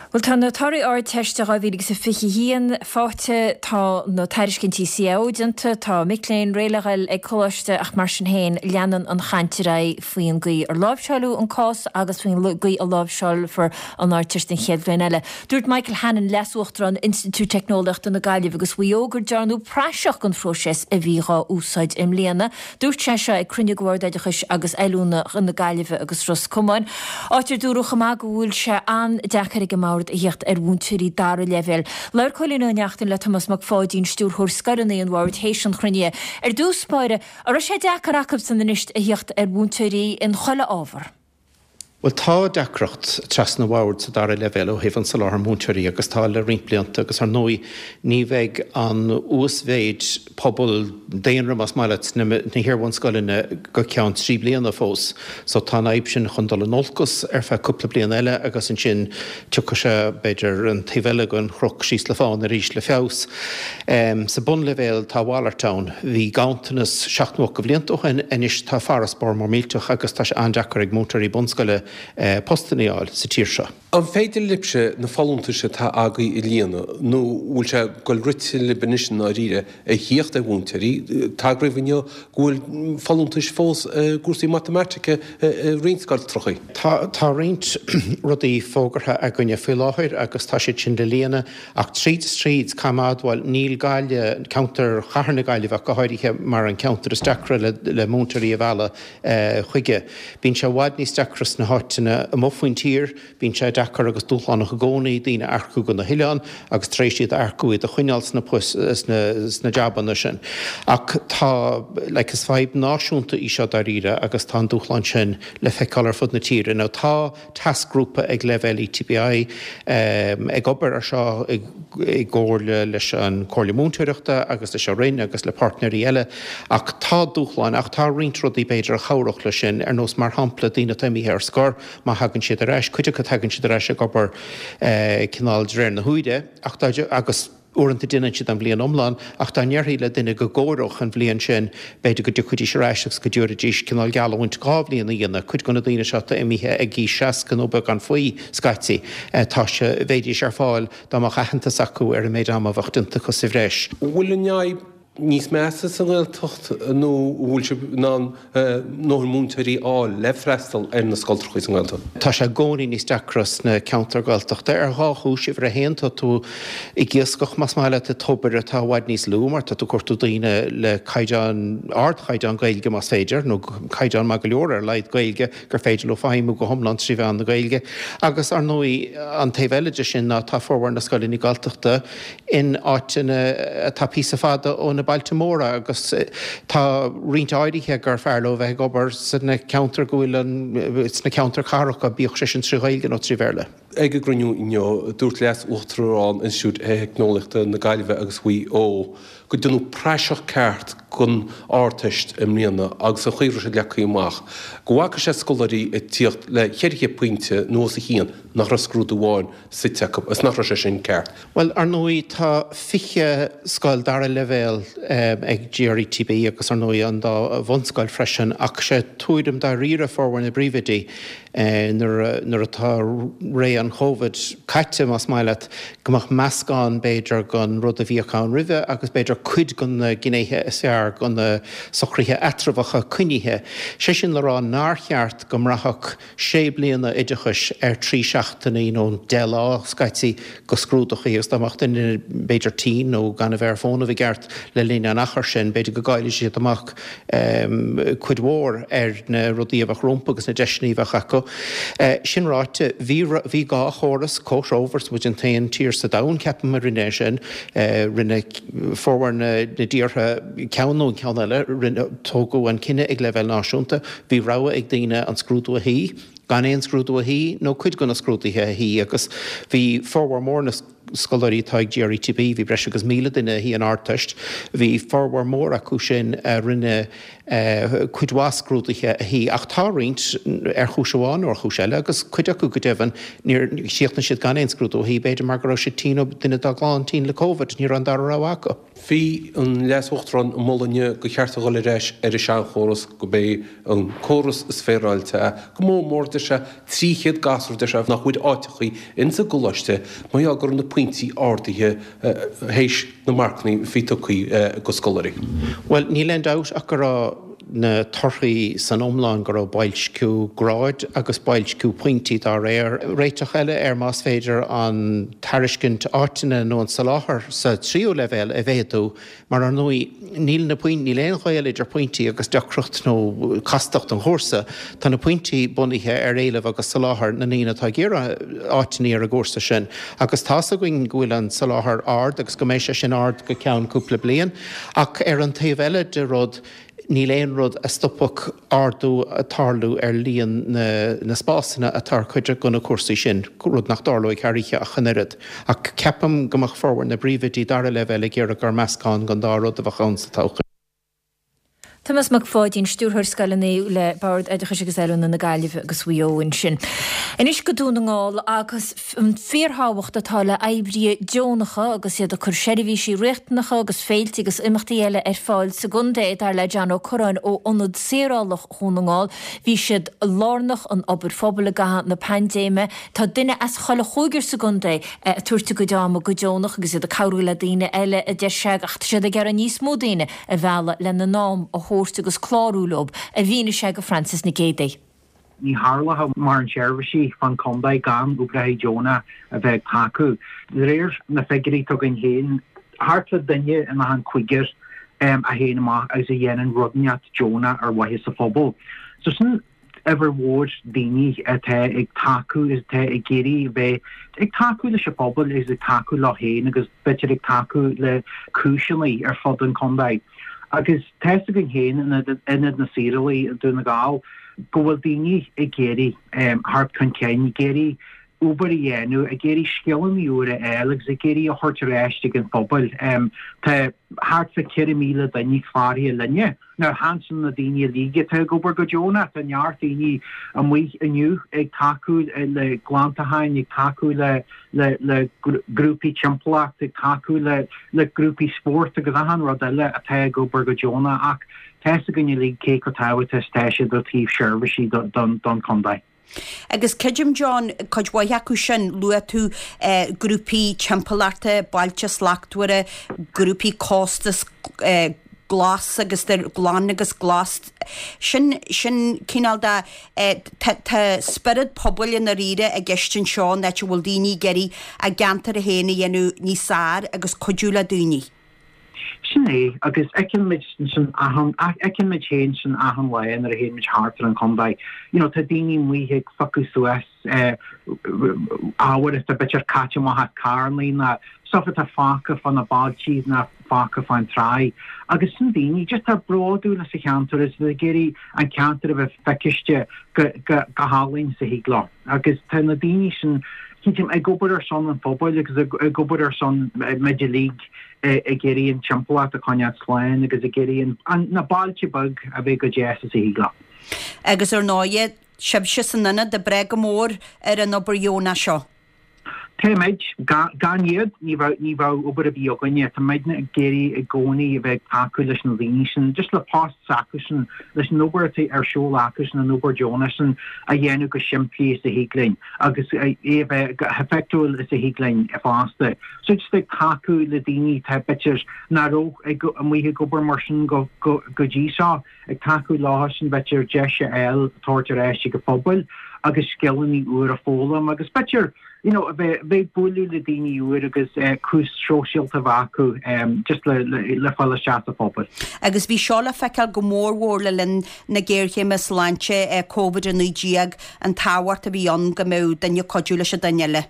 Bhuel tá na torthaí Ardteiste dhá mhíle agus a fiche a haon faighte, tá na tairiscintí C A O déanta, tá mic léinn réidh le dhul ag coláiste ach mar sin féin leanann an chaint ar aghaidh faoin gcaoi ar láimhseáileadh an cás agus faoin gcaoi a láimhseálfar an Ardteist an chéad bhliain eile. Dúirt Michael Hannon, Leas-Uachtarán Institiúid Teicneolaíochta na Gaillimhe agus Mhaigh Eo gur dearnadh praiseach den phróiseas a bhí dhá úsáid i mbliana. Dúirt sé seo ag cruinniú de Bhord Oideachais agus Oiliúna na Gaillimhe agus Ros Comáin, áit ar dúradh chomh maith go bhfuil sé an-deacair ag an mBord a theacht ar mhúinteoirí dara leibhéal. Labhair Cóilín Ó Neachtain le Tomás Mac Pháidín, Stiúrthóir Scoileanna an Bhoird, théis an chruinnithe. Ar dtús báire, an raibh sé deacair acubsan anois a theacht ar mhúinteoirí in chuile ábhar? Bhuel, tá deacracht trasna an bhoird sa dara leibhéal ó thaobh an soláthar múinteoirí agus tá le roinnt blianta agus ar ndóigh ní bheidh an uasmhéid pobal, daonra más maith leat, sna hiar-bhunscoileanna go ceann trí bliana fós. So tá an fhadhb sin chun dul in olcas ar feadh cúpla bliain eile agus ansin tiocfaidh sé, b'fhéidir, an taobh eile den chnoc síos le fána arís le feabhas. Sa bunleibhéal tá a mhalairt ann. Bhí ganntanas seacht nó ocht de bhlianta ó shin, anois tá farasbarr mór millteach agus tá sé an-deacair ag múinteoirí bunscoile postanna a fháil sa tír seo. An féidir libhse na folúntais atá agaibh a líonadh nó bhfuil sé ag goil rite libh anois i ndáiríre a thíocht ar mhúinteoirí? Tagraíodh inniu go bhfuil folúntais fós i gcúrsaí matamaitice i roinnt scoiltreachaí. Tá tá roinnt rudaí fógartha againne faoi láthair agus tá siad sin le líonadh ach tríd is tríd, caithfidh mé a admháil, níl Gaillimh, ceantar Chathair na Gaillimhe ach go háirithe, mar an ceantar is deacra le le múinteoirí a mhealladh chuige. Bíonn sé i bhfad níos deacra sna háiteanna amuigh faoin tír, bíonn sé deacair agus dúshlánach i gcónaí daoine a earcú go na hoileáin agus tar éis iad a earcú iad a choinneáil sna poist sna sna jabanna sin. Ach tá like is fadhb náisiúnta í seo dáiríre agus tá an dúshlán sin le feiceáil ar fud na tíre. Now tá tascghrúpa ag leibhéal ETBI ag obair ar seo i gcomhairle leis an Chomhairle Múinteoireachta agus leis an Roinn agus le páirtnéirí eile ach tá dúshláin ach tá roinnt rudaí b'fhéidir a chabhródh leis sin ar nós mar shampla daoine atá imithe ar scor má thagann siad ar ais, cuid acu tagann siad ar ais ag obair cineál de réir na huaire ach agus uaireanta déanann siad an bhliain iomlán ach dá ndéarfaí le duine go gcomhaireodh an bhliain sin b'fhéidir go dtiocfaidís ar ais agus go dtabharfaidís cineál geallúint dhá bhliain a dhéanamh. Cuid de na daoine seo atá imithe ag aois seasca nó beagán faoi scaití tá sé bheidís ar fáil dá mbeadh aitheantas acu ar an méid ama a bheadh déanta acu sa bhreis. Bhfuil an fhadhb níos measa sa nGaeltacht nó an bhfuil sibh in ann ndóthain múinteoirí a fháil le freastal ar na scoltrachaí sa nGaeltacht? Tá sé i gcónaí níos deacra sna ceantair Ghaeltachta ar dhá chúis. Uimhir a haon, tá tú ag iascach, más maith leat, i dtobar atá i bhfad níos lú mar tá tú ag cuartú daoine le caighdeán, ardchaighdeán Gaeilge más féidir, nó caighdeán maith go leor ar a laghad Gaeilge gur féidir leo feidhmiú go hiomlán trí mheán na Gaeilge. Agus, ar ndóigh, an taobh eile de sin ná tá formhór na scoileanna Gaeltachta in áiteanna atá píosa fada ó na bailte móra agus tá roinnt áirithe gur fearr leo bheith ag obair sna ceantair go bhfuil an, sna ceantair chathracha, bíodh sé sin trí Ghaeilge nó trí Bhéarla. Ag an gcruinniú inniu, dúirt Leas-Uachtarán Institiúid Theicneolaíochta na Gaillimhe agus Mhaigh Eo go ndearnadh praiseach ceart den Ardteist i mbliana agus an chaoi a raibh sé leagtha amach, go bhfaca sé scoláirí ag tíocht le ceithre chéad pointe nó os a chionn nach raibh scrúdú amháin suite acu agus nach raibh sé sin ceart. Bhuel, ar ndóigh, tá fiche scoil dara leibhéal ag GRETB agus ar ndóigh an dá bhunscoil freisin ach sé tuairim dáiríre formhór na bpríomhoidí nuair nuair atá ré an Covid caite, más maith leat, go mbeadh meascán b'fhéidir den rud a bhíodh ann roimhe agus b'fhéidir cuid de na gnéithe is fearr de na socruithe eatramhacha coinnithe. Sé sin le rá nár cheart go mbraithfeadh sé bliana oideachais ar trí seachtainí nó deich lá scaití de scrúduchaí agus dá mbeadh duine b'fhéidir tinn nó gan a bheith ar fónamh i gceart le linn an achair sin, b'fhéidir go gcaillfidh siad amach cuid mhór ar na rudaí a bheadh rompu agus na deiseanna a bheadh acu. Sin ráite, bhí bhí dhá chóras comhthreomhar, is muid an t-aon tír sa domhan, ceapaim, a rinne é sin. Rinne formhór na dtíortha ceann nó an ceann eile, rinne, tógadh an cinneadh ag leibhéal náisiúnta, bhí rogha ag daoine an scrúdú a shuí, gan aon scrúdú a shuí nó cuid de na scrúduithe a shuí agus bhí formhór mór na scoláirí atá ag GRETB, bhí breis agus míle duine a shuigh an Ardteist, bhí formhór mór acu sin a rinne cuid mhaith scrúduithe a shuí ach tá roinnt, ar chúis amháin nó ar chúis eile, agus cuid acu go deimhin, níor chríochnaigh siad gan aon scrúdú a shuí, b'fhéidir mar go raibh siad tinn nó duine dá gclann tinn le Covid, ní raibh an dara rogha acu. Bhí an Leas-Uachtarán ag moladh inniu gur cheart a dhul ar ais ar an seanchóras, gurb é an córas is féaráilte é, go mór mór, deir sé, trí chéad gasúr, deir sé, nach bhfuair áiteachaí ins an gcoláiste mar gheall go raibh na pointí ardaithe théis na marcannaí a bhí tugtha go scoláirí. Bhuel, níl aon dabht ach go raibh na torthaí san iomlán, go raibh boilsciú gráid agus boilsciú pointí dá réir. Réiteach eile air más féidir an tairiscint áiteanna nó an soláthar sa tríú leibhéal a mhéadú mar ar ndóigh níl na níl aon ghaol idir pointí agus deacracht nó castacht an chúrsa. Tá na pointí bunaithe ar éileamh agus soláthar na ndaoine atá ag iarraidh áiteanna ar an gcúrsa sin agus tá's againn go bhfuil an soláthar ard agus go mbeidh sé sin ard go ceann cúpla bliain ach ar an taobh eile de rud Níl aon rud a stopfadh ardú ag tarlú ar líon na spásanna atá ar cuid de na cúrsaí sin, rud nach dtarlóidh thar oíche ach an oiread. Ach ceapaim go mbeadh formhór na bpríomhoidí dara leibhéal ag iarraidh gur meascán den dá rud a bheadh ann sa todhchaí. Tomás Mac Pháidín, Stiúrthóir Scoileanna le Bord Oideachais agus Oiliúna na Gaillimhe agus Mhaigh Eo ansin. Anois go Dún na nGall agus an fíorthábhacht atá le oibrithe deonacha agus iad ag cur seirbhísí riachtanacha agus féilte agus imeachtaí eile ar fáil sa gcontae, dar le John Ó Curráin ó Ionad Saorálach Dhún na nGall. Bhí siad lárnach in obair phobail i gcaitheamh na paindéime. Tá duine as chuile chúigear sa gcontae ag tabhairt a gcuid ama go deonach agus iad ag cabhrú le daoine eile, a deir sé, ach tá siad ag iarraidh níos mó daoine a mhealladh lena n-am a thabhairt agus clárú leo, a mhínigh sé go Frances Nic Géadaigh. Ní tharlódh mórán seirbhísí fán chontae gan oibrithe deonacha a bheith ag tacú. De réir na figiúirí atá againn féin, thart le duine in achan cúigear a théann amach agus a dhéanann rud inteacht deonach ar mhaithe sa phobal. So sin uimhir mhór daoine atá ag tacú is atá ag iarraidh bheith ag tacú leis an phobal is ag tacú leo féin agus b'fhéidir ag tacú le cúiseanna ar fud an chontae. Agus tá a fhios againn féin in Ionad na Saorálaí i Dún na nGall go bhfuil daoine ag iarraidh theacht chun cinn, ag iarraidh obair a dhéanamh, ag iarraidh scileanna úra a fháil agus ag iarraidh a thabhairt ar ais ag an phobal. Tá thart fá ceithre míle duine cláraithe linne. Now chan sin na daoine uilig atá ag obair go deonach, tá neart daoine amuigh inniu ag tacú le glantacháin, ag tacú le le le grúpaí timpeallachta, ag tacú le le grúpaí spóirt agus achan rud eile atá ag obair go deonach ach tá a fhios againn uilig cé chomh tábhachtach is atá siad ó taobh seirbhísí don don chontae. Agus creidim, John, cuid mhaith acu sin, luaigh tú grúpaí timpeallachta, Bailte Slachtmhara, grúpaí costas glas agus glan agus glas, sin, sin cineál de, tá, tá spiorad pobail i ndáiríre i gceist anseo, an áit a bhfuil daoine ag iarraidh a gceantar féin a dhéanamh níos fearr agus cuidiú le daoine. Sin é, agus fheiceann muid sin achan, fheiceann muid féin sin achan lá nuair a théann muid thart ar an chontae. You know, tá daoine amuigh ag phiocadh suas ábhair atá b'fhéidir caite amach as carrannaí ná stuff atá fágtha fá na bailtí ná fágtha fán tráigh. Agus sin daoine just atá bródúil as a cheantar is ag iarraidh an ceantar a bheith feiciste go, go, go hálainn is a thig leo. Agus tá na daoine sin, creidim, ag obair ar son an phobail agus ag obair ar son muid uilig ag iarraidh an timpeallacht a choinneáil slán agus ag iarraidh na bailte beag a bheith chomh deas is a thig leo. Agus ar ndóighe, sibhse san ionad ag brath go mór ar an obair dheonach seo. Táimid. Gan iad, ní bheadh, ní bheadh obair ar bith againne. Tá muidne ag iarraidh i gcónaí a bheith ag tacú leis na daoine sin, just le post s'acusan, leis an obair atá ar siúl acusan, an obair deonach sin a dhéanamh go simplí is a thig linn agus é a bheith go heifeachtúil is a thig linn fosta. So just ag tacú le daoine atá b'fhéidir nach raibh ag, amuigh ag obair mar sin go, go, go dtí seo, ag tacú leo sin b'fhéidir deis a fháil tabhairt ar ais ag an phobal agus scileanna úr a foghlaim agus b'fhéidir you know, a bheith ag bualadh le daoine úr agus cuas sóisialta a bheith acu just le le fáil isteach sa phobal. Agus bhí seo le feiceáil go mór mhór le linn na géarchéime sláinte Covid a naoi déag, an tábhacht a bhí ann go mbeadh duine ag cuidiú leis an duine eile.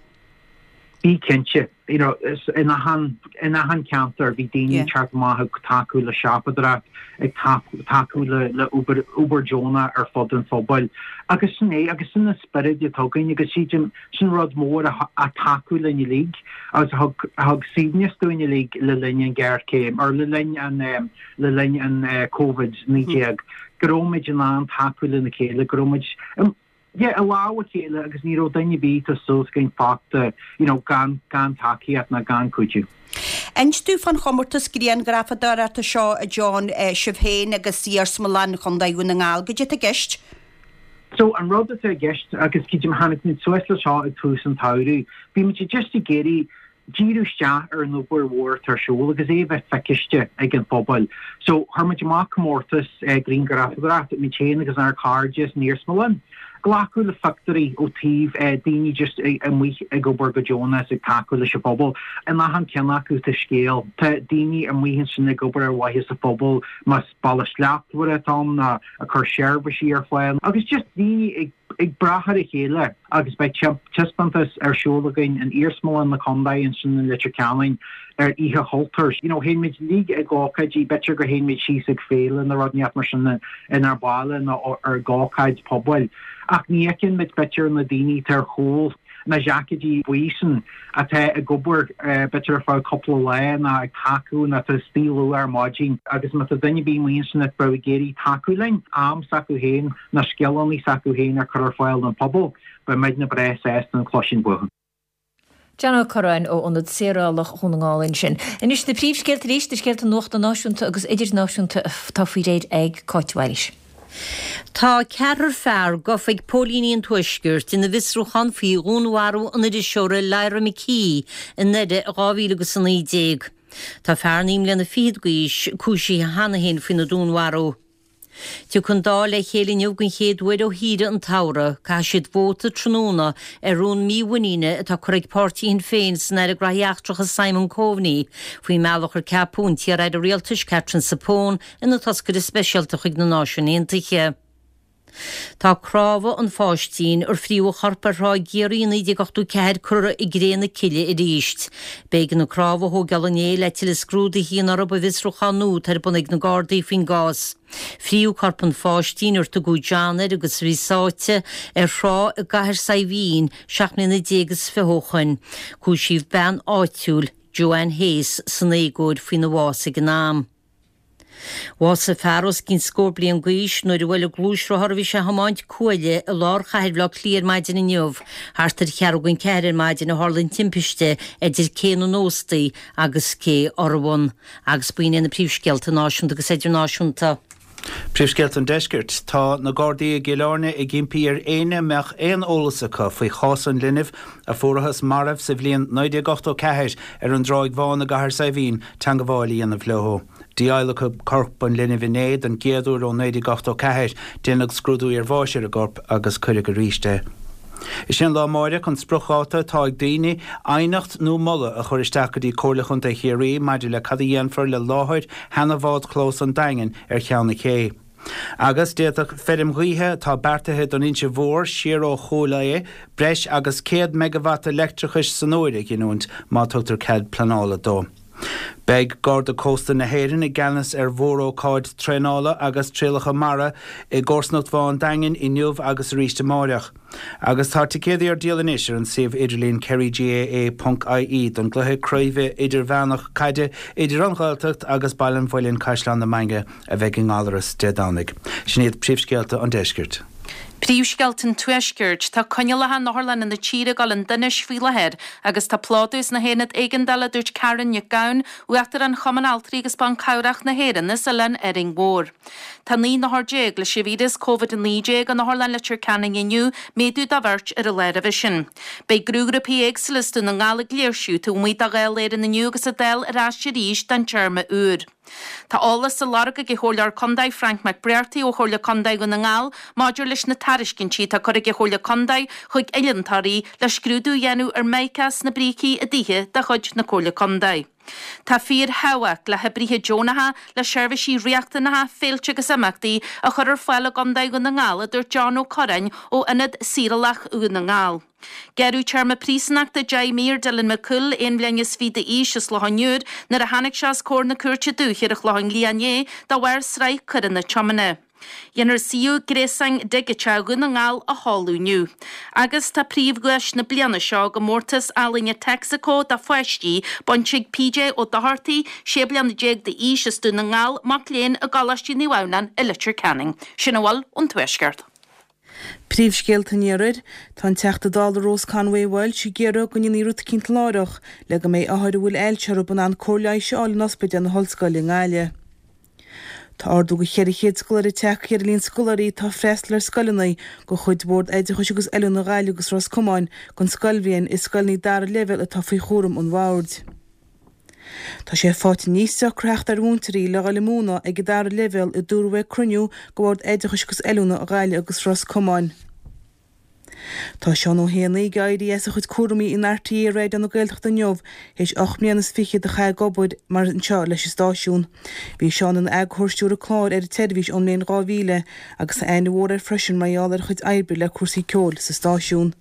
Bhí cinnte. You know, in achan, in achan ceantar bhí daoine ag teacht amach ag tacú le siopadóireacht, ag tacú le le obair, obair deonach ar fud an phobail. Agus sin é, agus sin an spiorad atá againn agus sílim sin rud mór a a tacú linn uilig agus a thug, a thug suaimhneas dúinn uilig le linn an ghéarchéim, or le linn an, le linn an Covid naoi déag, go raibh muid in ann tacú lena chéile, go raibh muid, yeah, i lámh a chéile agus ní raibh duine ar bith tá súil againn fágtha, you know, gan, gan tacaíocht ná gan cuidiú. Inis dúinn fán chomórtas grianghrafadóireachta seo, a John, sibh féin agus Iarsmalann Chontae Dhún na nGall, goidé atá i gceist? So, an rud atá i gceist, agus creidim, tháinig muid suas le seo ag tús an tsamhraidh, bhí muid just ag iarraidh díriú isteach ar an obair mhór atá ar siúl agus é a bheith feiciste ag an phobal. So, chuir muid amach comórtas grianghrafadóireachta, muid féin agus ár cairde san iarsmalann. Glacadh le pictiúirí ó taobh daoine just amuigh ag obair go deonach is ag tacú leis an phobal. In achan ceann acu tá scéal. Tá daoine amuigh ansin ag obair ar mhaithe sa phobal, más Baile Slachtmhar atá ann ná ag cur seirbhísí ar fáil agus just daoine ag ag brath ar a chéile agus beidh taispeántas ar siúl againn in Iarsmalann na Condae ansin in Leitir Ceanainn ar Oíche Chultúir. You know, théann muid uilig ag ócáidí, b'fhéidir go théann muid síos ag féile nó rud inteacht mar sin inár baile nó ar ócáid pobail ach ní fheiceann muid b'fhéidir na daoine atá ar chúl na jaicéidí buí sin atá ag obair b'fhéidir ar feadh cúpla lá nó ag tacú nó atá istigh luath ar maidin agus má tá duine ar bith amuigh ansin a bheadh ag iarraidh tacú linn, am s'acu féin nó scileanna s'acu féin a chur ar fáil don phobal, beidh muidne breá sásta an cloisint uathu. John Ó Curráin ó Ionad Saorálach Dhún na nGall ansin. Anois na príomhscéalta arís, na scéalta nuachta náisiúnta agus idirnáisiúnta atá faoi réir ag Cáit Mhaoilís. Tá ceathrar fear gafa ag póilíní an Tuaiscirt ina bhfiosrúchán faoi dhúnmharú an iriseora Lyra McKee i nDoire i dhá mhíle agus a naoi déag. Tá fear naoi mbliana fichead d'aois cúisithe cheana féin faoina dúnmharú. Tiocfaidh an Dáil le chéile inniu den chéad uair ó shaoire an tsamhraidh. Caithfidh siad vóta tráthnóna ar rún mímhuiníne atá curtha ag páirtí Shinn Féin san Aire Graithí Eachtracha Simon Coveney faoin mbealach ar ceapadh an t-iar-aire rialtais Katherine Zappone ina toscaire speisialta chuig na Náisiúin Aontaithe. Tá cnámha an pháistín ar fríodh a chorp ar Thrá Chiarraí i naoi déag ochtó ceathair curtha i gcré na cille arís. B'éigean na cnámha a thógáil inné le tuilleadh scrúdaithe a dhéanamh orthu i bhfiosrúchán nua atá ar bun ag na Gardaí faoin gcás. Fríodh corp an pháistín ar tugadh John air agus a bhí sáite ar thrá i gCathair Saidhbhín seacht mbliana déag is fiche ó shoin. Cúisíodh bean áitiúil, Joanne Hayes, san éagóir faoina bhás ag an am. Bhásaigh fear os cionn scór bliain d'aois nuair a bhuail gluaisrothar a bhí sé a thiomáint cuaille i lár chathair Bhaile Átha Cliath ar maidin inniu. Thart ar cheathrú don ceathair ar maidin a tharla an timpiste idir Cé na nÓstaí agus Cé Urmhumhan. Agus b'in iad na príomhscéalta náisiúnta agus idirnáisiúnta. Príomhscéalta an Deiscirt. Tá na Gardaí i gCill Airne ag impí ar éinne a mbeadh aon eolas acu faoi chás an linbh a fuarathas marbh sa bhliain naoi déag ochtó ceathair ar an dTráigh Bhán i gCathair Saidhbhín teangabháil a dhéanamh leo. Dí-adhlacadh corp an linbh inné don gcéad uair ó naoi déag ochtó ceathair. Déanadh scrúdú iarbháis ar an gcorp agus cuireadh arís é. Is é an lá amáireach an spriocdháta atá ag daoine aighneacht nó moladh a chur isteach go dtí Comhairle Chontae Chiarraí maidir le cad a dhéanfar le láthair sheana-bhádchlós an Daingin ar Cheann na Cé. Agus d'fhéadfadh feirm ghaoithe atá beartaithe don Inse Mhór siar ó Chúil Aodha breis agus céad meigeavata leictreachais san uair a ghiniúint má tugtar cead pleanála dó. Beidh Garda Cósta na hÉireann i gceannas ar mhórócáid traenála agus trialacha mara i gcomharsanacht Bhá an Daingin inniu agus arís amáireach. Agus tá ticéadaí ar díol anois ar an suíomh idirlín kerrygaa ponc ie don gcluiche craoibhe idirmheánach caide idir an Ghaeltacht agus Baile an Mhuilinn-Caisleán na Mainge a bheidh i nGallaras Dé Domhnaigh. Sin iad príomhscéalta an deiscirt. Príomhscéalta an Tuaiscirt. Tá coinníollacha in otharlanna na tíre ag dul chun donais faoi láthair agus tá plódú sna haonaid éigeandála, a dúirt Karen Nic Gabhann, Uachtarán Chumann Altraí agus Ban Cabhrach na hÉireann as Oileán Árainn Mhór. Tá naoi n-othar déag leis an víreas Covid a naoi déag in Otharlann Leitir Ceanainn inniu, méadú de bheirt ar an lá roimhe sin. Beidh gnóghrúpaí éagsúla as Dún na nGall ag léirsiú taobh amuigh de Dháil Éireann inniu agus an Dáil ar ais arís don téarma úr. Tá eolas á lorg ag an Chomhairleoir Contae Frank McBrearty ó Chomhairle Contae Dhún na nGall maidir leis na tairiscintí atá curtha ag an Chomhairle Contae chuig oileántóirí le scrúdú a dhéanamh ar mhica sna brící i dtithe de chuid na Comhairle Contae. Tá fíorthábhacht le hoibrithe deonacha le seirbhísí riachtanacha, féilte agus imeachtaí a chur ar fáil i gContae Dhún na nGall, a dúirt John Ó Curráin ó Ionad Saorálach Dhún na nGall. Gearradh téarma príosúnachta deich mí ar Dylan McCool, aon bhliain is fiche d'aois, as Loch an Iúir, nuair a tháinig sé os comhair na Cúirte Dúiche ar an Chlochán Liath inné de bharr sraith coireanna tiomána. Déanfar suíomh gréasáin digiteach Dhún na nGall a sheoladh inniu. Agus tá príomhdhuais na bliana seo i gcomórtas ealaíne Texaco do pháistí bainte ag P J Ó Dochartaigh, sé bliana déag d'aois, as Dún na nGall, mac léinn i gColáiste Naomh Adhamhnáin i Leitir Ceanainn. Sin a bhfuil ón Tuaisceart. Príomhscéalta an Iarthair, Tá an Teachta Dála Rose Conway Walsh ag iarraidh go ndéanfaí rud eicínt láithreach le go mbeidh othair a bhfuil ailse orthu in ann cóir leighis a fháil in ospidéal na hOllscoile i nGaillimh. Tá ardú de cheithre chéad scoláire tagtha ar an líon scoláirí atá ag freastal ar scoileanna de chuid Bhord Oideachais agus Oiliúna Ghaillimh agus Ros Comáin don scoilbhliain i scoileanna dara leibhéal atá faoi chúram an Bhoird. Tá sé faighte níos deacra theacht ar mhúinteoirí le dhul ag múineadh ag an dara leibhéal a dúradh ag cruinniú de Bhord Oideachais agus Oiliúna Ghaillimh agus Ros Comáin. Tá Seán Ó hÉanaí ag éirí as a chuid cúraimí in R T É Raidió na Gaeltachta inniu théis ocht mbliana is fichead a chaitheamh ag obair mar anseo leis an stáisiún. Bhí Seán ina eagarthóir stiúrtha clár ar an tseirbhís ón mbliain dhá mhíle agus tá aithne mhór air freisin mar gheall ar a chuid oibre le cúrsaí ceoil sa stáisiún.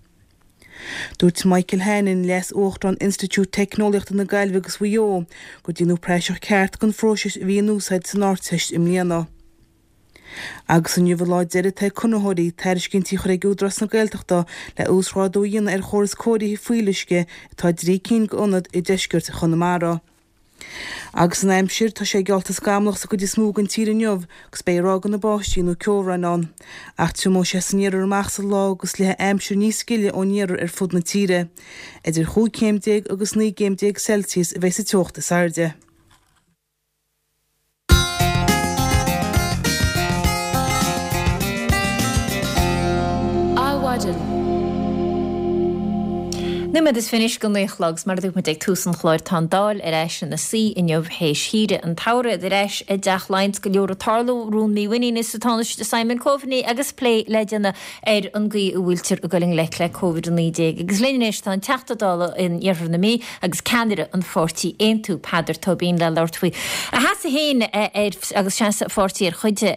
Dúirt Michael Hannon, Leas-Uachtarán Institiúid Teicneolaíochta na Gaillimhe agus Mhaigh Eo, gur déanadh praiseach ceart den phróiseas a bhí in úsáid san Ardteist i mbliana. Agus inniu an lá deiridh atá ag conraitheoirí tairiscintí a chur ag Údarás na Gaeltachta le uasghrádú a dhéanamh ar chóras cóirithe fuíolluisce atá i dtrí cinn d'ionaid i dteisceart Chonamara. Agus an aimsir, tá sé geallta scamallach sa gcuid is mó den tír inniu agus beidh ráigeanna báistí nó ceobhráin ann. Ach triomóidh sé san iarthar amach sa lá agus léifidh aimsir níos gile ón iarthar ar fud na tíre. Idir chúig chéim déag agus naoi gcéim déag Celsius a bheidh sa teocht is airde. Adhmhaidin. Nóiméad is fiche anois go naoi a chlog, 's mar a dúirt muid ag tús an chláir, tá an Dáil ar ais ina suí inniu théis shaoire an tsamhraidh, ar ais i dTeach Laighean 's go leor ag tarlú, rún mímhuiníne sa Tánaiste Simon Coveney agus plé le déanamh ar an gcaoi a bhfuiltear ag dul i ngleic le Covid a naoi déag. Agus linn anois tá an Teachta Dála in Iarthar na Mí agus ceannaire an pháirtí Aontú, Peadar Tóibín, le labhairt faoi a sheasamh féin ar agus seasamh a pháirtí ar chuid de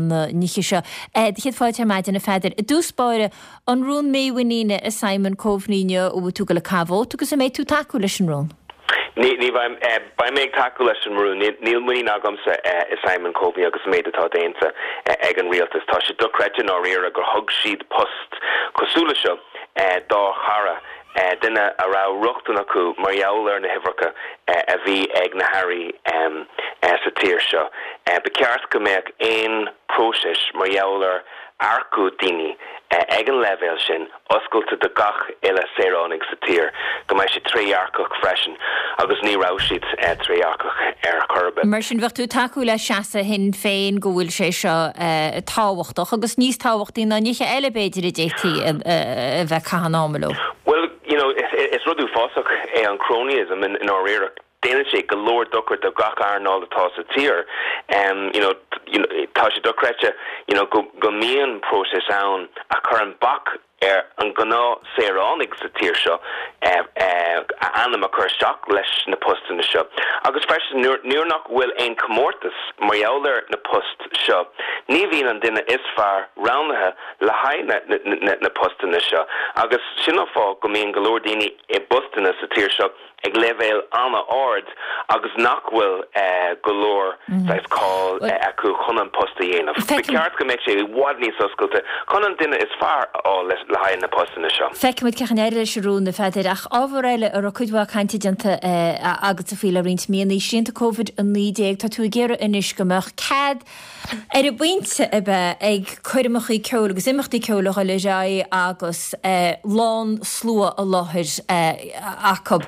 na nithe seo. Do chéad fáilte ar maidin, a Pheadair. I dtús báire, An rún mímhuiníne i Simon Coveney inniu, an bhfuil tú ag dul ag caitheamh vóta agus an mbeidh tú ag tacú leis an rún? Ní, ní bheidh, beidh mé ag tacú leis an rún. Níl muinín agamsa i Simon Coveney agus an méid atá déanta ag an rialtas. Tá sé dochreidte i ndáiríre gur thug siad post cosúil le seo dá chara, duine a raibh rochtain acu mar gheall ar na huimhreacha a bhí ag na hairí sa tír seo. Ba cheart go mbeadh aon próiseas mar gheall ar earcú daoine ag an leibhéal sin oscailte do gach uile saoránaigh sa tír, go mbeidh sé trédhearcach freisin, agus ní raibh siad trédhearcach ar chor ar bith. Mar sin, bheadh tú ag tacú le seasamh Shinn Féin go bhfuil sé seo tábhachtach, agus níos tábhachtaí ná nithe eile b'fhéidir a d'fhéadfaí a bheith ag caitheamh an ama leo. Bhuel, you know, is rud uafásach é an cronyism i ndáiríre. Déanann sé go leor dochar do gach earnáil atá sa tír. You know, tá sé dochreidte, you know, go go mbíonn próiseas ann a chuireann bac ar an gnáth saoránaigh sa tír seo a ainm a chur isteach leis na postanna seo. Agus freisin nuair nuair nach bhfuil aon comórtas mar gheall ar na post seo, ní bhíonn an duine is fearr roghnaithe le haghaidh na na na postanna seo. Agus sin an fáth go mbíonn go leor daoine i bpostanna sa tír seo ag leibhéal an-ard agus nach bhfuil go leor saghas cáil acu chun an post a dhéanamh. Ba cheart go mbeadh sé i bhfad níos oscailte chun an duine is fearr a fháil le haghaidh na postanna seo. Feicfimid cén chaoi a n-éireoidh leis an rún, a Pheadair, ach ábhar eile a raibh cuid mhaith cainte déanta agatsa faoi le roinnt míonna, srianta Covid a naoi déag, tá tú ag iarraidh anois go mbeadh cead ar an bpointe a bheith ag coirmeacha ceoil agus imeachtaí ceoil a dhul ar aghaidh agus lán slua i láthair acu.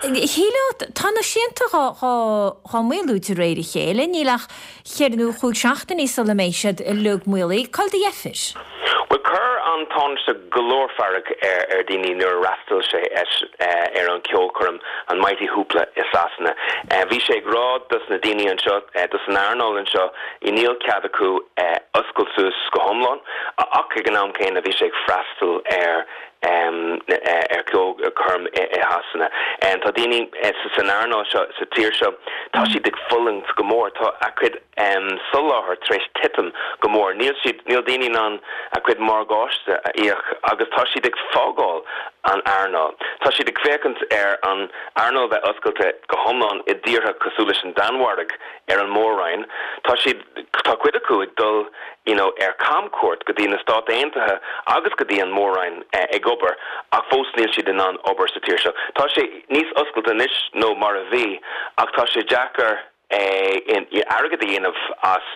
Shílfeá, tá na srianta dhá maolú de réir a chéile, níl ach cheithre nó chúig seachtainí sula mbeidh siad uilig maolaithe. Cá bhfuil do dheifir? Bhuel, chuir an Tánaiste go leor fearg ar dhaoine nuair a fhreastail sé ar an cheolchoirm, an Mighty Hoopla i Sasana. Bhí sé ag rá dos na daoine anseo, dos an earnáil anseo, níl cead acu oscailt suas go hiomlán, ach ag an am céanna bhí sé ag freastal ar ar cheolchoirm i Shasana. Tá daoine san earnáil seo sa tír seo, tá siad ag fulaingt go mór, tá a gcuid soláthar tar éis titim go mór, níl siad, níl daoine in ann a gcuid morgáiste a íoc agus tá siad ag fágáil an earnáil. Tá siad ag féachaint ar an earnáil bheith oscailte go hiomlán i dtíortha cosúil leis an Danmhairg ar an Mór-Roinn. Tá siad, tá cuid acu ag dul you know ar camchuairt go dtí na Stáit Aontaithe agus go dtí an Mór-Roinn ag obair ach fós níl siad in ann obair sa tír seo. Tá sé níos oscailte anois nó mar a bhí ach tá sé deacair airgead a dhéanamh as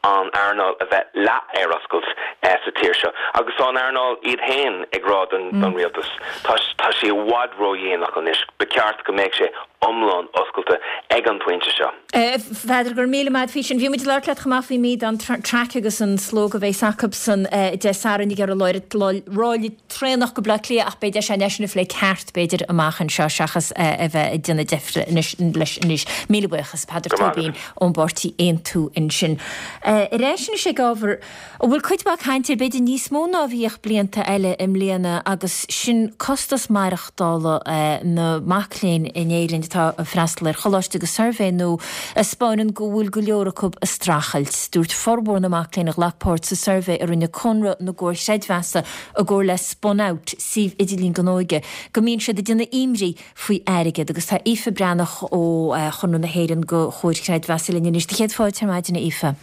an earnáil a bheith leath ar oscailt sa tír seo agus tá an earnáil iad féin ag rá don rialtas tá tá sé i bhfad ródhéanach anois, ba cheart go mbeadh sé iomlán oscailte ag an bpointe seo. A Pheadair, go raibh míle maith agat faoi sin. Bhí muid ag labhairt leat chomh maith faoi mí don Traic agus an slógadh a bheas acusan Dé Sathairn ag iarraidh ráille traenach go Baile Átha Cliath ach beidh deis againn é sin a phlé ceart b'fhéidir amach anseo seachas a bheith ag déanamh deifre anois leis anois. Míle buíochas, Peadar Tóibín ón bpáirtí Aontú ansin. Ar ais anois ag ábhar a bhfuil cuid mhaith cainte air, b'fhéidir níos mó ná a bhíodh blianta eile i mbliana agus sin costas maireachtála na mac léinn in Éirinn atá ag freastal ar choláiste agus suirbhé nua a 'spáineann go bhfuil go leor acu ag streachailt. Dúirt formhór na mac léinn a ghlac páirt sa suirbhé a rinne Conradh na gComhar Creidmheasa i gcomhar le Spun Out, suíomh idirlín don óige, go mbíonn siad ag déanamh imní faoi airgead agus tá Aoife Breathnach ó Chonradh na hÉireann do Chomhar Creidmheasa linn anois. Do chéad fáilte ar maidin, a Aoife.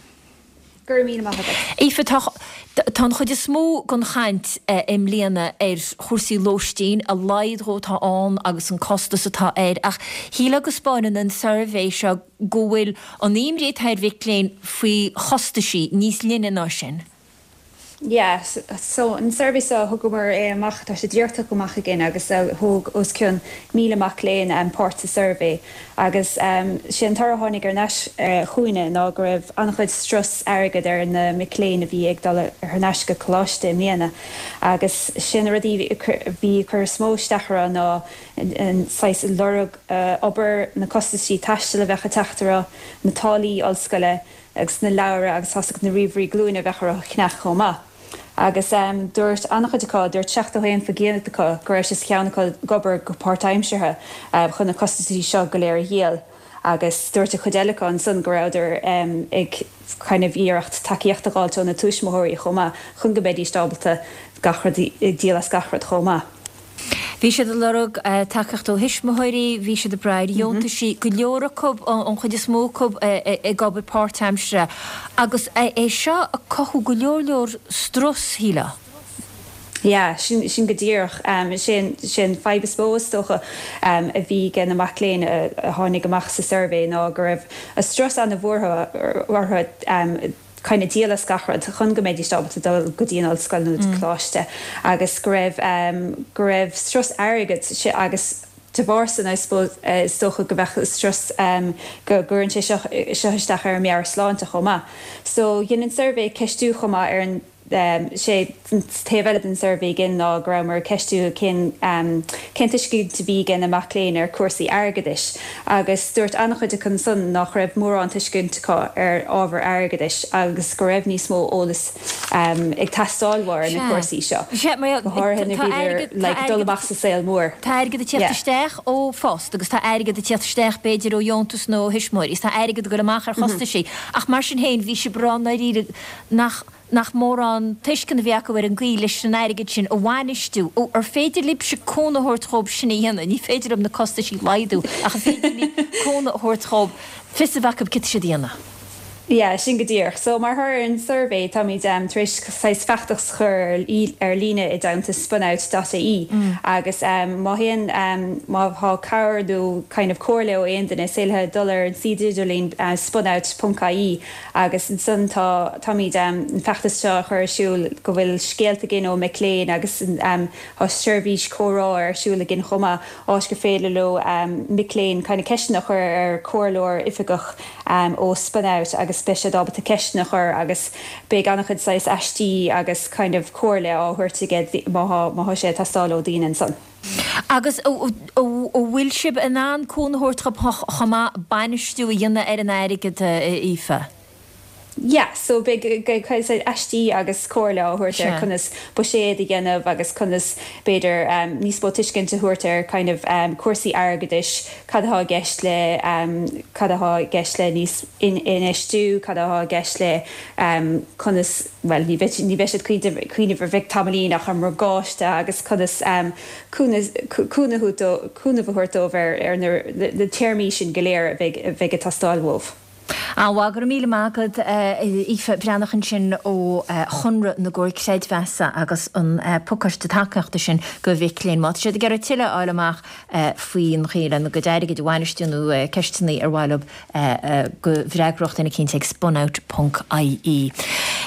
Go raibh míle maith agat. Aoife, tá tá an chuid is mó den chaint i mbliana ar chúrsaí lóistín, a laghad dhó atá ann agus an costas atá air, ach shílfeá go 'spáineann an suirbhé seo go bhfuil an imní atá ar mhic léinn faoi chostaisí níos leithne ná sin. Yeah, so an suirbhé seo thugamar é amach tá sé díreach amach againn agus uh, thóg os cionn míle mac léinn um, páirt sa suirbhé agus um, sé an toradh a tháinig ar ais uh, chugainne ná go raibh an-chuid strus airgid ar na mic léinn a bhí ag dul ar ais go coláiste i mbliana agus sin rudaí bhí cur is mó isteach orthu ná an saghas lorg uh, obair na costaisí taistil a bheith ag teacht orthu na táillí ollscoile agus na leabhair agus thosaigh na ríomhairí glúine a bheith orthu a cheannach chomh maith. Agus um, dúirt an-chuid acu dúirt seachtó haon faoin gcéad acu go raibh sé cheann acu ag obair go páirtaimseartha uh, chun na costaisí seo go léir a dhíol. agus dúirt an chuid eile acu ansan go rabhadar um, ag kind of iarracht tacaíocht a fháil ó na tuismitheoirí chomh maith chun go mbeidís ábalta gach rud díol as gach rud chomh maith. Bhí siad ag lorg uh, tacaíocht ó thuismitheoirí, bhí siad ag brath ar dheontaisí go leor acu an chuid is mó acu ag obair páirtaimseartha. Agus é seo ag cothú go leor leor strus shílfeá. Yeah, sin, sin go díreach um, sin, sin fadhb is mó is dócha um, a bhí ag na mic léinn a, a tháinig amach sa suirbhé ná go raibh a strus an-mhór orthu um, kind of díol as gach rud chun go mbeidís ábalta dul go dtí an ollscoil nó mm. coláiste agus go raibh um, go raibh strus airgid agus de bharr san I suppose uh, is dócha go bheadh strus um, go gcuireann sé seo seo isteach ar meabhairshláinte chomh maith. So dhein an suirbhé ceistiú chomh maith ar an um, sé taobh eile den suirbhé gin ná go rabhamar ag ceistiú cén um, cén tuiscint a bhí ag na mic léinn ar cúrsaí airgeadais agus dúirt an-chuid acu ansan nach raibh mórán tuiscint acu ar ábhar airgeadais agus go raibh níos mó eolas um, ag teastáil ar na cúrsaí seo. Go háirithe nuair a bhíodar like, dul amach sa saol mór. Tá airgead ag teacht isteach ó phost agus tá airgead ag teacht isteach b'fhéidir ó dheontas nó thuismitheoirí, is tá airgead ag dul amach ar chostaisí. Ach mar sin féin bhí sé brá nach nach mórán tuiscint a bhí acu ar an gcaoi leis an airgead sin a bhainistiú ó ar féidir libhse cúnamh a thabhairt dóibh sin a dhéanamh, ní féidir leo na costaisí a laghdú ach an féidir libh cúnamh a thabhairt dóibh fios a bheith acu cad tá siad a dhéanamh. Yeah, sin go díreach. So mar thoradh ar an suirbhé táimid um, tar éis saghas feachtas a chur ar líne i dteannta spunout.ie mm. agus um, má haon um, má tá cabhair nó kind of comhairle ó aon duine is féidir dul ar an suíomh idirlín uh, spunout.ie agus ansan tá táimid um, an feachtas seo a chur ar siúl go bhfuil scéalta againn ó mic léinn agus um, tá seirbhís comhrá ar siúl againn chomh maith áit gur féidir leo um, mic léinn kind of ceisteanna a chur ar comhairleoir oifigeach um, ó spunout agus beidh siad ábalta ceisteanna a chur agus beidh an-chuid saghas aistí agus kind of comhairle á thabhairt aige má má sé teastáil ó daoine ansan. Agus bhfuil sibh in ann cúnamh a thabhairt chomh maith bainistiú a dhéanamh ar an airgead Aoife. Yeah, so beidh aistí agus comhairle á thabhairt ar conas buiséad a dhéanamh agus conas b'fhéidir um, níos mó tuiscint a thabhairt ar kind of um, cúrsaí airgeadais cad atá i gceist le um, cad atá i gceist le níos infheistiú, cad atá i gceist le um, conas well ní ní bheidh siad cuimhneamh ar bheith tamaillín ach an morgáiste agus conas um, cúnamh a thabhairt dóibh ar ar na, na téarmaí sin go léir a bheidh ag teastáil uathu. An bhfuil go raibh míle maith agat Aoife Breathnach ansin ó Chonradh na gComhar Creidmheasa agus an pacáiste tacaíochta sin do mhic léinn. Má tá siad ag iarraidh tuilleadh a fháil amach faoin chaoi lena gcuid airgid a bhainistiú nó ceisteanna ar mhaith leo go bhfreagródh duine eicínt ag spunout.ie.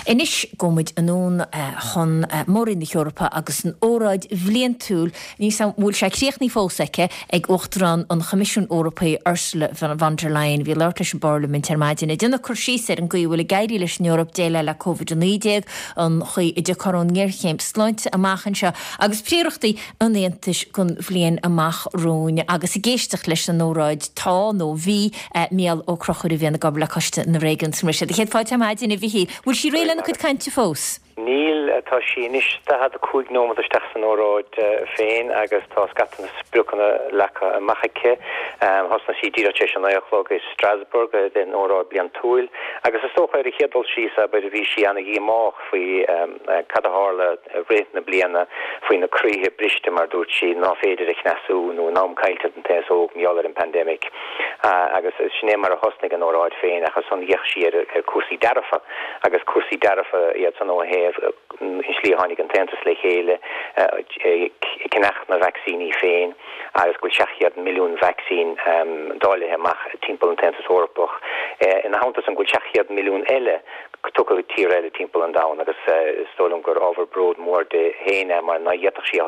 Anois gabhfaidh muid anonn chun Mór-Roinn na hEorpa agus an óráid bhliantúil ní bhfuil sé críochnaithe fós aici ag Uachtarán an Choimisiúin Eorpaigh Ursula von der Leyen bhí labhairt leis an bParlaimint ar maidin ag déanamh cur síos ar an gcaoi a bhfuil ag éirí leis an Eoraip déileáil le Covid a naoi déag, an chaoi a dtiocfar ón ngéarchéim sláinte amach anseo agus príorachtaí an Aontais don bhliain amach romhainn agus ag éisteacht leis an óráid tá nó bhí Mícheál Ó Conchúir a bhíonn ag obair le Coiste na Réigiún san sé. Chéad fáilte ar maidin a Mhichíl, bhfuil sí réidh lena cuid cainte fós? Níl tá sí anois daichead a cúig nóiméad isteach san óráid féin agus tá scata na spriocanna leagtha amach aici. Thosnaigh sí díreach tar éis a naoi a chlog i Strasbourg den óráid bliantúil agus is dócha ar a chéad dul síos abair bhí sí an-dhíomách faoi cad a tharla i rith na bliana faoi na croíthe briste mar dúirt sí nach féidir a chneasú nó an am caillte den t-aos óg mar gheall ar an pandemic. Agus sin é mar a thosnaigh an óráid féin ach ansan d'fhéach sí ar cúrsaí dearfa agus cúrsaí dearfa iad san ó thaobh an slí a tháinig an tAontas le chéile ag ceannach na vacsaíní féin agus go bhfuil seacht gcéad milliún vacsaín dáilithe amach timpeall an tAontas Eorpach. Ina theannta san go bhfuil seacht gcéad milliún eile tugtha go tír eile timpeall an domhain agus is dóigh liom gur ábhar bród mór di féin é mar ná d'fhéadfadh sí a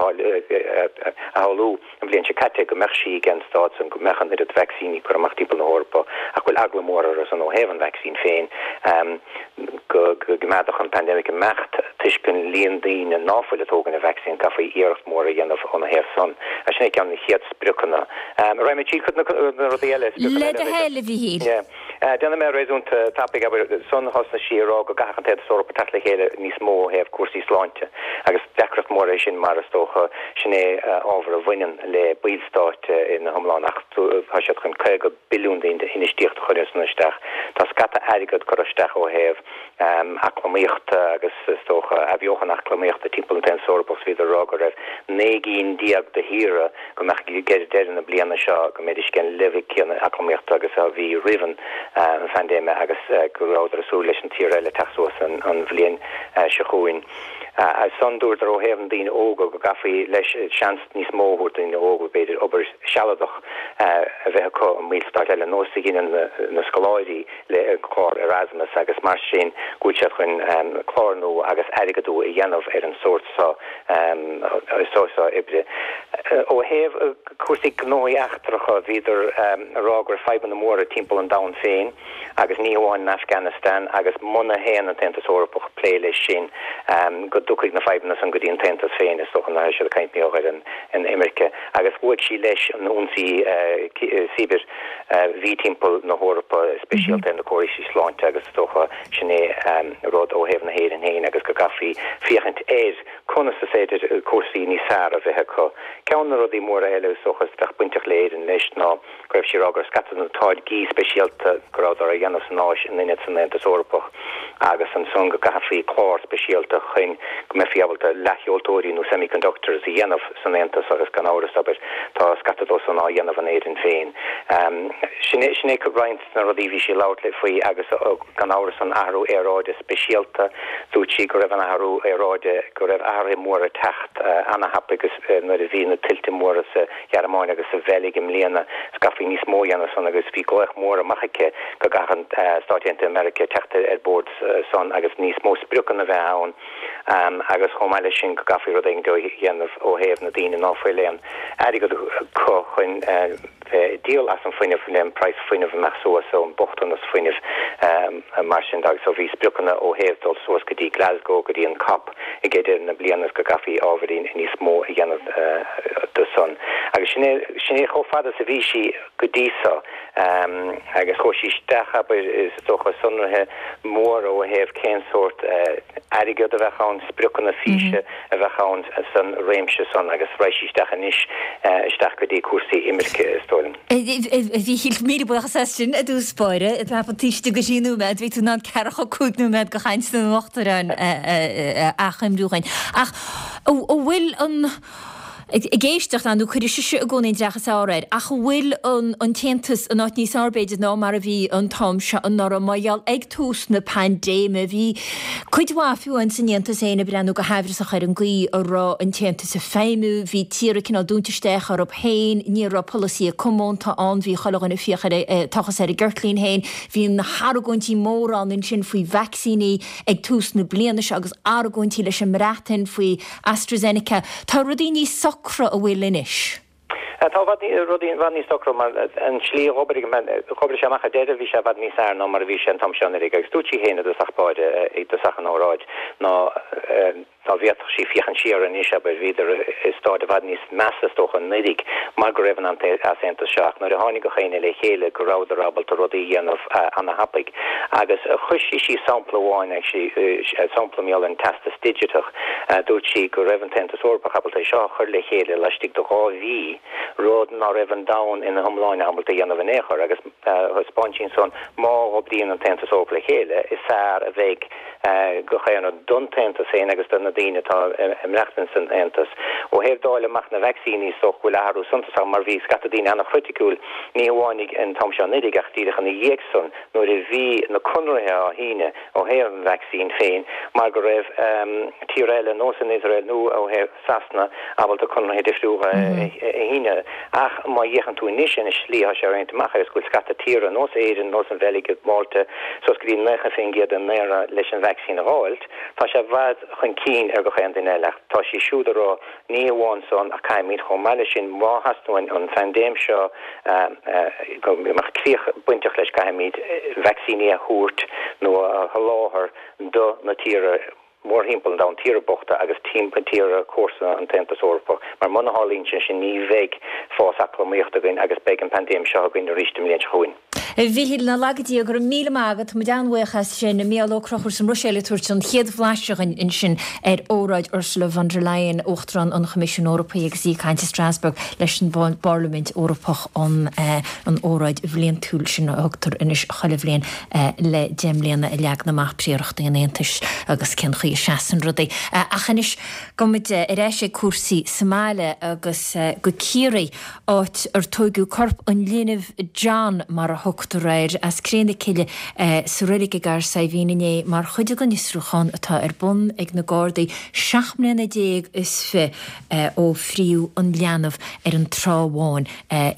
shamhlú an bhliain seo caite go mbeadh sí ag an staid san go mbeadh an oiread vacsaíní curtha amach timpeall na hEorpa ach go bhfuil eagla mór orthu san ó thaobh an vacsaín féin go gcoimeádfadh an pandemic imeacht toisc an líon daoine ná fuil ag tógaint an vacsaín caithfí iarracht mhór a dhéanamh óna thaobh san. Sin é ceann de na chéad spriocanna. Raghaidh mé tríd cuid na rudaí eile, spriocanna eile. Le do thoil, a Mhíchíl. Yeah. Déanfaidh mé réasúnta tapaidh, abair, san thosnaigh sí ag rá go gcaithfeadh an tAontas Eorpach teacht le chéile níos mó ó thaobh cúrsaí sláinte agus deacracht mhór é sin mar is dócha sin é ábhar a bhaineann le ballstáit ina hiomlán ach tá siad chun caoga billiún d'infheistíocht a chur san isteach. Tá scata airgead curtha isteach ó thaobh eacnamaíochta agus is dócha athbheochan eacnamaíochta timpeall an tAontas Eorpach is bhíodar ag rá go raibh naoi gcinn déag de thíortha go mbeadh ag deireadh na bliana seo go mbeidís ag an leibhéal céanna eacnamaíochta agus a bhí roimh an phaindéime agus go rabhadar ag súil leis an tír eile teacht suas an bhliain seo chugainn. Ansan dúradar ó thaobh na daoine óga go gcaithfí leis seans níos mó a thabhairt do dhaoine óga b'fhéidir obair shealadach a bheith acu i mballstát eile nós a dheineann na scoláirí le clár Erasmus agus mar sin go bhfuil siad chun clár nua agus airgeadú a dhéanamh ar an sórt seo seo oibre. Ó thaobh cúrsaí gnóthaí eachtracha bhíodar ag rá go raibh fadhbanna móra timpeall an domhain féin agus ní hamháin in Afghanistan agus muna théann an tAontas Eorpach ag plé leis sin go dtiocfaidh na fadhbanna san go dtí an tAontas féin is dócha nuair atá siad ag caint mar gheall ar an imirce agus luaigh sí leis an ionsaí cibir a bhí timpeall na hEorpa speisialta ar na córais sláinte agus is dócha sin é rud ó thaobh na hÉireann féin agus go gcaithfí féachaint ar conas is féidir cúrsaí níos fearr a bheith acu. Ceann de na rudaí móra eile is dócha a bheadh bainteach le Éirinn leis ná go raibh sí ag rá go raibh scata de na táirgí speisialta go rabhadar á dhéanamh san Áis in ionad san Aontas Eorpach agus ansan go gcaithfí clár speisialta chun go mbeifí ábalta leathsheoltóirí nó semiconductors a dhéanamh san Aontas agus gan amhras abair tá scata dó san á dhéanamh in Éirinn féin. Sin é sin é roinnt de na rudaí a bhí sí ag labhairt faoi agus gan amhras an athrú aeráide speisialta. Dúirt sí go raibh an athrú aeráide, go raibh athruithe móra ag teacht ana-thapaidh agus nuair a bhí na tuilte móra sa Ghearmáin agus sa Bheilg i mbliana is gcaithfí níos mó a dhéanamh san agus bhí glaoch mór amach aici go gcaithfeadh Stáit Aontaithe Meiriceá teacht ar bord san agus níos mó spriocanna a bheith ann agus chomh maith leis sin go gcaithfí rud éigin a dhéanamh ó thaobh na daoine ná fuil aon airgead acu chun bheith ag díol as an fuinneamh le an praghas fuinnimh imeacht suas ó an bochtanas fuinnimh mar sin de agus so bhí spriocanna ó thaobh dul suas go dtí Glasgow go dtí an cop ag deireadh na bliana is go gcaithfí ábhairín níos mó a dhéanamh de san agus sin é sin é chomh fada is a bhí sí go dtí so agus chuaigh sí isteach abair is dócha sonraithe móra ó thaobh cén sórt airgead a bheadh ann spriocanna físe a bheadh ann san réimse san agus raghaidh sí isteach anois isteach go dtí cúrsaí imirce is dóigh liom. A Mhíchíl, míle buíochas as sin i dtús báire. Tá an taoiseach go trí nóiméad, bhí tú in ann ceathracha cúig nóiméad de chaint an Uachtaráin a achoimriú dhúinn. Ach an bhfuil an Ag éisteacht nó cuirfidh sise i gcónaí an dreach is fearr air, ach an bhfuil an an tAontas in áit níos fearr b'fhéidir ná mar a bhí an t-am seo anuraidh mar gheall ag tús na paindéime bhí cuid mhaith fiú amháin san Aontas féin ag breathnú go haimhreasach ar an gcaoi a raibh an tAontas ag feidhmiú, bhí tíortha cineál dúnta isteach orthu féin, ní raibh polasaithe comónta ann, bhí chuile dhuine ag fiach ar ag tochas ar a gceirtlín féin, bhí na hargóintí móra ann ansin faoi vacsaíní ag tús na bliana seo agus argóintí leis an mBreatain faoi AstraZeneca. Tá rudaí níos socra an bhfuil anois? Tá rudaí i bhfad níos socra mar an tslí a dh'oibrigh dh'oibrigh sé amach ar deireadh bhí sé i bhfad níos fearr ná mar a bhí sé an t-am seo anuraidh agus dúirt sí féin i dtosach báire i dtosach an óráid ná dá bhféadfadh sí féachaint siar anois abair bhíodar i staid i bhfad níos measa is dócha anuraidh mar go raibh an easaontas seo ach nuair a tháinig gach éinne le chéile go rabhadar ábalta rudaí a dhéanamh ana-thapaidh agus chuir sí síos sampla amháin actually sampla mar gheall ar an teastas digiteach dúirt sí go raibh an tAontas Eorpach ábalta é seo a chur le chéile laistigh de dhá mhí rud ná raibh an domhan ina hiomláine ábalta a dhéanamh in aon chor agus thaispeáin sí ansan má oibríonn an tAontas Eorpach le chéile is fearr a bheidh gach aon rud don tAontas féin agus do na daoine atá ag maireachtaint san Aontas. Ó thaobh dáileadh amach na vacsaíní, is dócha go bhfuil athrú suntasach mar bhí scata daoine an-chriticiúil, ní hamháin ag an t-am seo anuraidh ach díreach ina dhiaidh san nuair a bhí na conarthaí á shíneadh ó thaobh an vacsaín féin mar go raibh tíortha eile nós an Iosrael nó ó thaobh Sasana ábalta conarthaí difriúla a shíneadh. Ach má fhéachann tú anois ar an slí atá sé roinnte amach agus go bhfuil scata tíortha nós Éirinn, nós an Bheilg, Málta, suas go dtí naocha faoin gcéad den ndaonra leis an vacsaín a dh'fháilt, tá sé i bhfad chun cinn ar gach aon duine eile. Ach tá siad siúd ag rá, ní hamháin san ach caithfimid chomh maith leis sin, má theastaíonn uainn an phaindéim seo go mbeadh críoch bainteach leis, caithfimid vacsaíní a thabhairt nó a sholáthar do na tíortha mórthimpeall an domhain, tíortha bochta agus tíortha comharsana an tAontas Eorpach, mar muna tharlaíonn sé sin ní bheidh fás eacnamaíochta againn agus beidh an paindéim seo againn arís an bhliain seo chugainn. A Mhíchíl, ná laga Dia, go raibh míle maith agat, tá muid an-bhuíoch as sin. Mícheál Ó Conchúir sa mBruiséil ag tabhairt an chéad bhlaiseadh dhúinn ansin ar óráid Ursula von der Leyen, Uachtarán an Choimisiúin Eorpaigh agus í ag caint i Strasbourg leis an bParlaimint Eorpach an an óráid bhliantúil sin a thugtar anois chuile bhliain le deich mbliana a leagann amach príorachtaí an Aontais agus cén chaoi a seasann rudaí. Ach anois gabhfaidh muid ar ais ag cúrsaí sa mbaile agus go Ciarraí, áit ar tóigeadh corp an linbh, John mar a thugtar air, as Cré na Cille sa reilig i gCathair Saidhbhín inné mar chuid den fhiosrúchán atá ar bun ag na Gardaí seacht mbliana déag is fiche ó fríodh an leanbh ar an Trá Bháin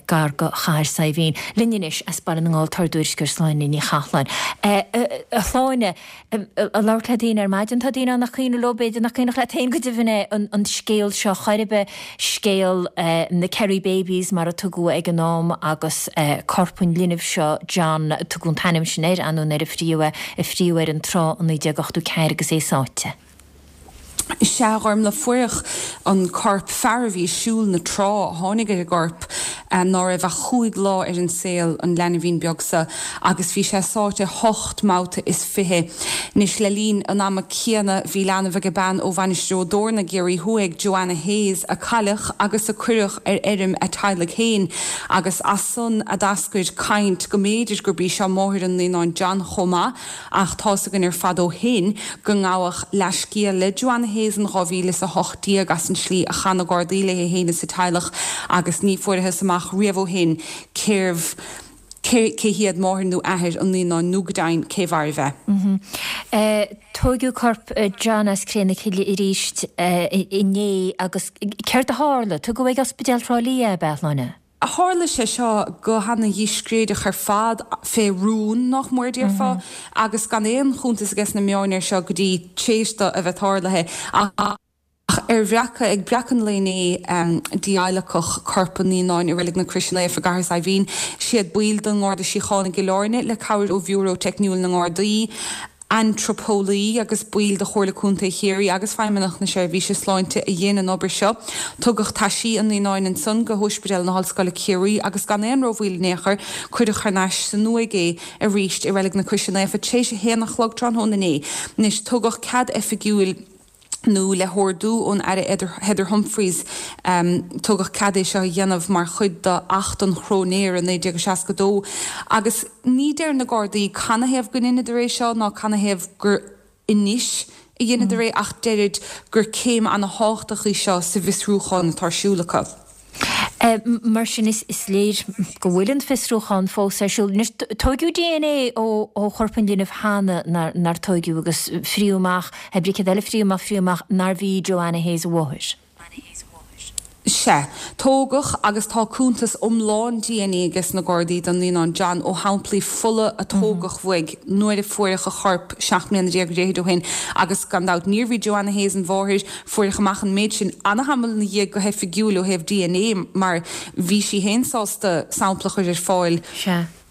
gar do Chathair Saidhbhín. Linn anois as Baile na nGall tá ár dtuairisceoir Sláine Ní Chathalláin. A Shláine, ag labhairt le daoine ar maidin, tá daoine ann nach cuimhin leo, b'fhéidir nach cuimhneach leat féin go deimhin é, an scéal seo chor ar bith, scéal na Kerry Babies mar a tugadh ag an am agus corp an linbh seo, John, tugadh an t-ainm sin air, ainneoin ar a fríodh é, a fríodh ar an trá i naoi déag ochtó ceathair agus é sáite. Sea, a Ghormlaith, fuaireadh an corp, fear a bhí ag siúl na trá a tháinig ar an gcorp, ná raibh ach chúig lá ar an saol, an leanbhín beag so, agus bhí sé sáite hocht mbabhta is fiche. Anois, le linn an ama céanna, bhí leanbh ag bean ó Mhainistir Ó dTorna i gCiarraí Thuaidh, Joanna Hayes, a cailleadh agus a cuireadh ar fheirm a teaghlaigh féin, agus as san a d'eascair caint go mb'fhéidir gurb í seo máthair an naíonáin John chomh maith. Ach tá's againn ar fad ó shin go ngabhadh leathscéal le Joanna Hayes in dhá mhíle is a hocht déag as an slí a chaith na Gardaí léi féin is a teaghlach agus ní fuarathas amach riamh ó shin cérbh cé hiad máthair nó athair an naíonáin nó go deimhin cé mhairbh é. Tóigeadh corp John as Cré na Cille arís inné agus céard a tharla? Tugadh ag Ospidéal Thrá Lí é, ab ea, a Shláine? Tharla sé seo go hana-dhíscréideach ar fad, fé rún, nach mór, déarfá, agus gan aon chuntas aige sna meáin air seo go dtí t'éis do a bheith tarlaithe. Ach ar bhreacadh, ag breacadh an lae inné, d'adhlacadh corp an naíonáin i Reilig na Croise Naofa i gCathair Saidhbhín. Siad baill den nGarda Síochána i gCill Airne, le cabhair ó Bhiúró Teicniúil na nGardaí, antraipeolaí agus baill de Chomhairle Contae Chiarraí agus Feidhmeannacht na Seirbhíse Sláinte a dhein an obair seo. Tugadh taisí an naíonáin ansan go hOispidéal na hOllscoile Ciarraí agus gan aon rómhoill in aon chor cuireadh thar n-ais san uaigh é arís i Reilig na Croise Naofa tar éis a haon a chlog tráthnóna inné. Anois tugadh cead oifigiúil. nó le hordú ón Aire Heather Humphreys, tugadh cead é seo a dhéanamh mar chuid d'Acht an Chróinéara naoi déag seasca dó. Agus ní deir na Gardaí canathaobh go ndeineadar é seo ná canathaobh gur anois a dheineadar é ach deirid gur céim ana-thábhachtach í seo sa bhfiosrúchán atá ar siúl acu. Mar sin, is léir go bhfuil an fiosrúchán fós ar siúl. Anois, tóigeadh dna ó chorp an linbh cheana, nár tóigeadh, agus fríodh amach, hé brí céard eile fríodh amach, fríodh amach nárbh í Joanna Hayes a mháthair. Sea. Tógadh agus tá cuntas iomlán dna aige sna Gardaí don naíonán John ó shamplaí fola a tógadh uaidh nuair a fuaireadh a chorp seacht mbliana déag ar fhichid ó shin agus gan dabht níorbh í Joanna Hayes an mháthair. Fuaireadh amach an méid sin ana-thamall ina dhiaidh go hoifigiúil ó thaobh dna mar bhí sí féin sásta sampla a chur ar fáil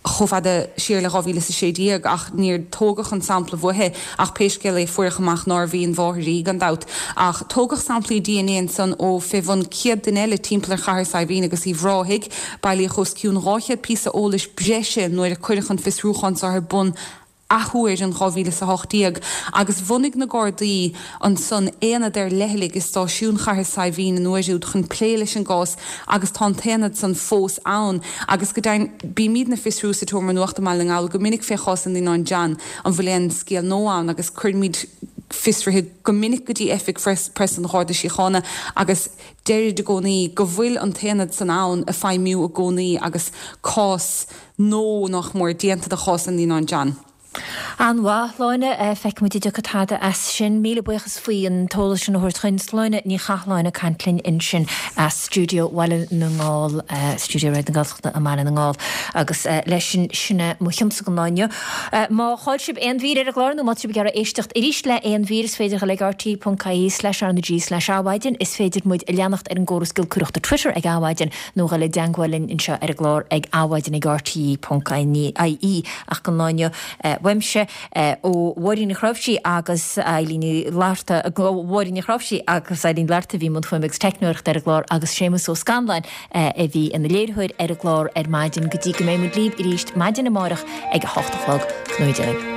chomh fada siar le dhá mhíle is a sé déag ach níor tógadh an sampla uaithi ach pé scéal é fuaireadh amach nárbh í an mháthair í gan dabht. Ach tógadh samplaí dna ansan ó fé bhun céad duine eile timpeall ar Chathair Saidhbhín agus Uíbh Ráthaigh. Bailíodh os cionn dhá chéad píosa eolais breise nuair a cuireadh an fiosrúchán seo ar bun athuair in dhá mhíle is a hocht déag agus bhunaigh na Gardaí ansan aonad ar leithligh i stáisiún Chathair Saidhbhín an uair úd chun plé leis an gcás agus tá an t-aonad san fós ann agus go deimhin bímídne ag fiosrú sa tSeomra Nuachta i mBaile na nGall go minic fé chás an naíonáin John an bhfuil aon scéal nua ann agus cuirimid fiosruithe go minic go dtí oifig preasa an Gharda Síochána agus deirid i gcónaí go bhfuil an t-aonad san ann ag feidhmiú i gcónaí agus cás nó nach mór déanta de chás an naíonáin John. An-mhaith, Sláine. Feicfidh muid an dtiocfaidh tada as sin. Míle buíochas faoi an t-eolas sin a thabhairt chugainn. Sláine Ní Chathalláin ag caint linn ansin as stiúideo Bhaile na nGall, stiúideo Raidió na Gaeltachta i mBaile na nGall. Agus leis sin, sin é mo chionsa don lá inniu. Má chaill sibh aon mhír ar an gclár nó má tá sibh ag iarraidh éisteacht arís le aon mhír, is féidir dul ag rte.ie slash RnaG slash Adhmhaidin. Is féidir muid a leanacht ar an gcóras giolcaireachta Twitter ag Adhmhaidin nó dhul i dteangmháil linn anseo ar an gclár ag adhmhaidin ag rte.ie. Ach don lá inniu, uaimse, ó Mháirín Ní Chnáimhsí agus Eilín Ní Fhlatharta, ó Mháirín Ní Chnáimhsí agus Eileen Ní Fhlatharta a bhí i mbun fuaime agus teicneoireachta ar an gclár agus Séamus Ó Scanláin a bhí ina léiritheoir ar an gclár ar maidin go dtí go mbeidh muid libh arís maidin amárach ag a hocht a chlog. Go ngnóthaí Dia libh.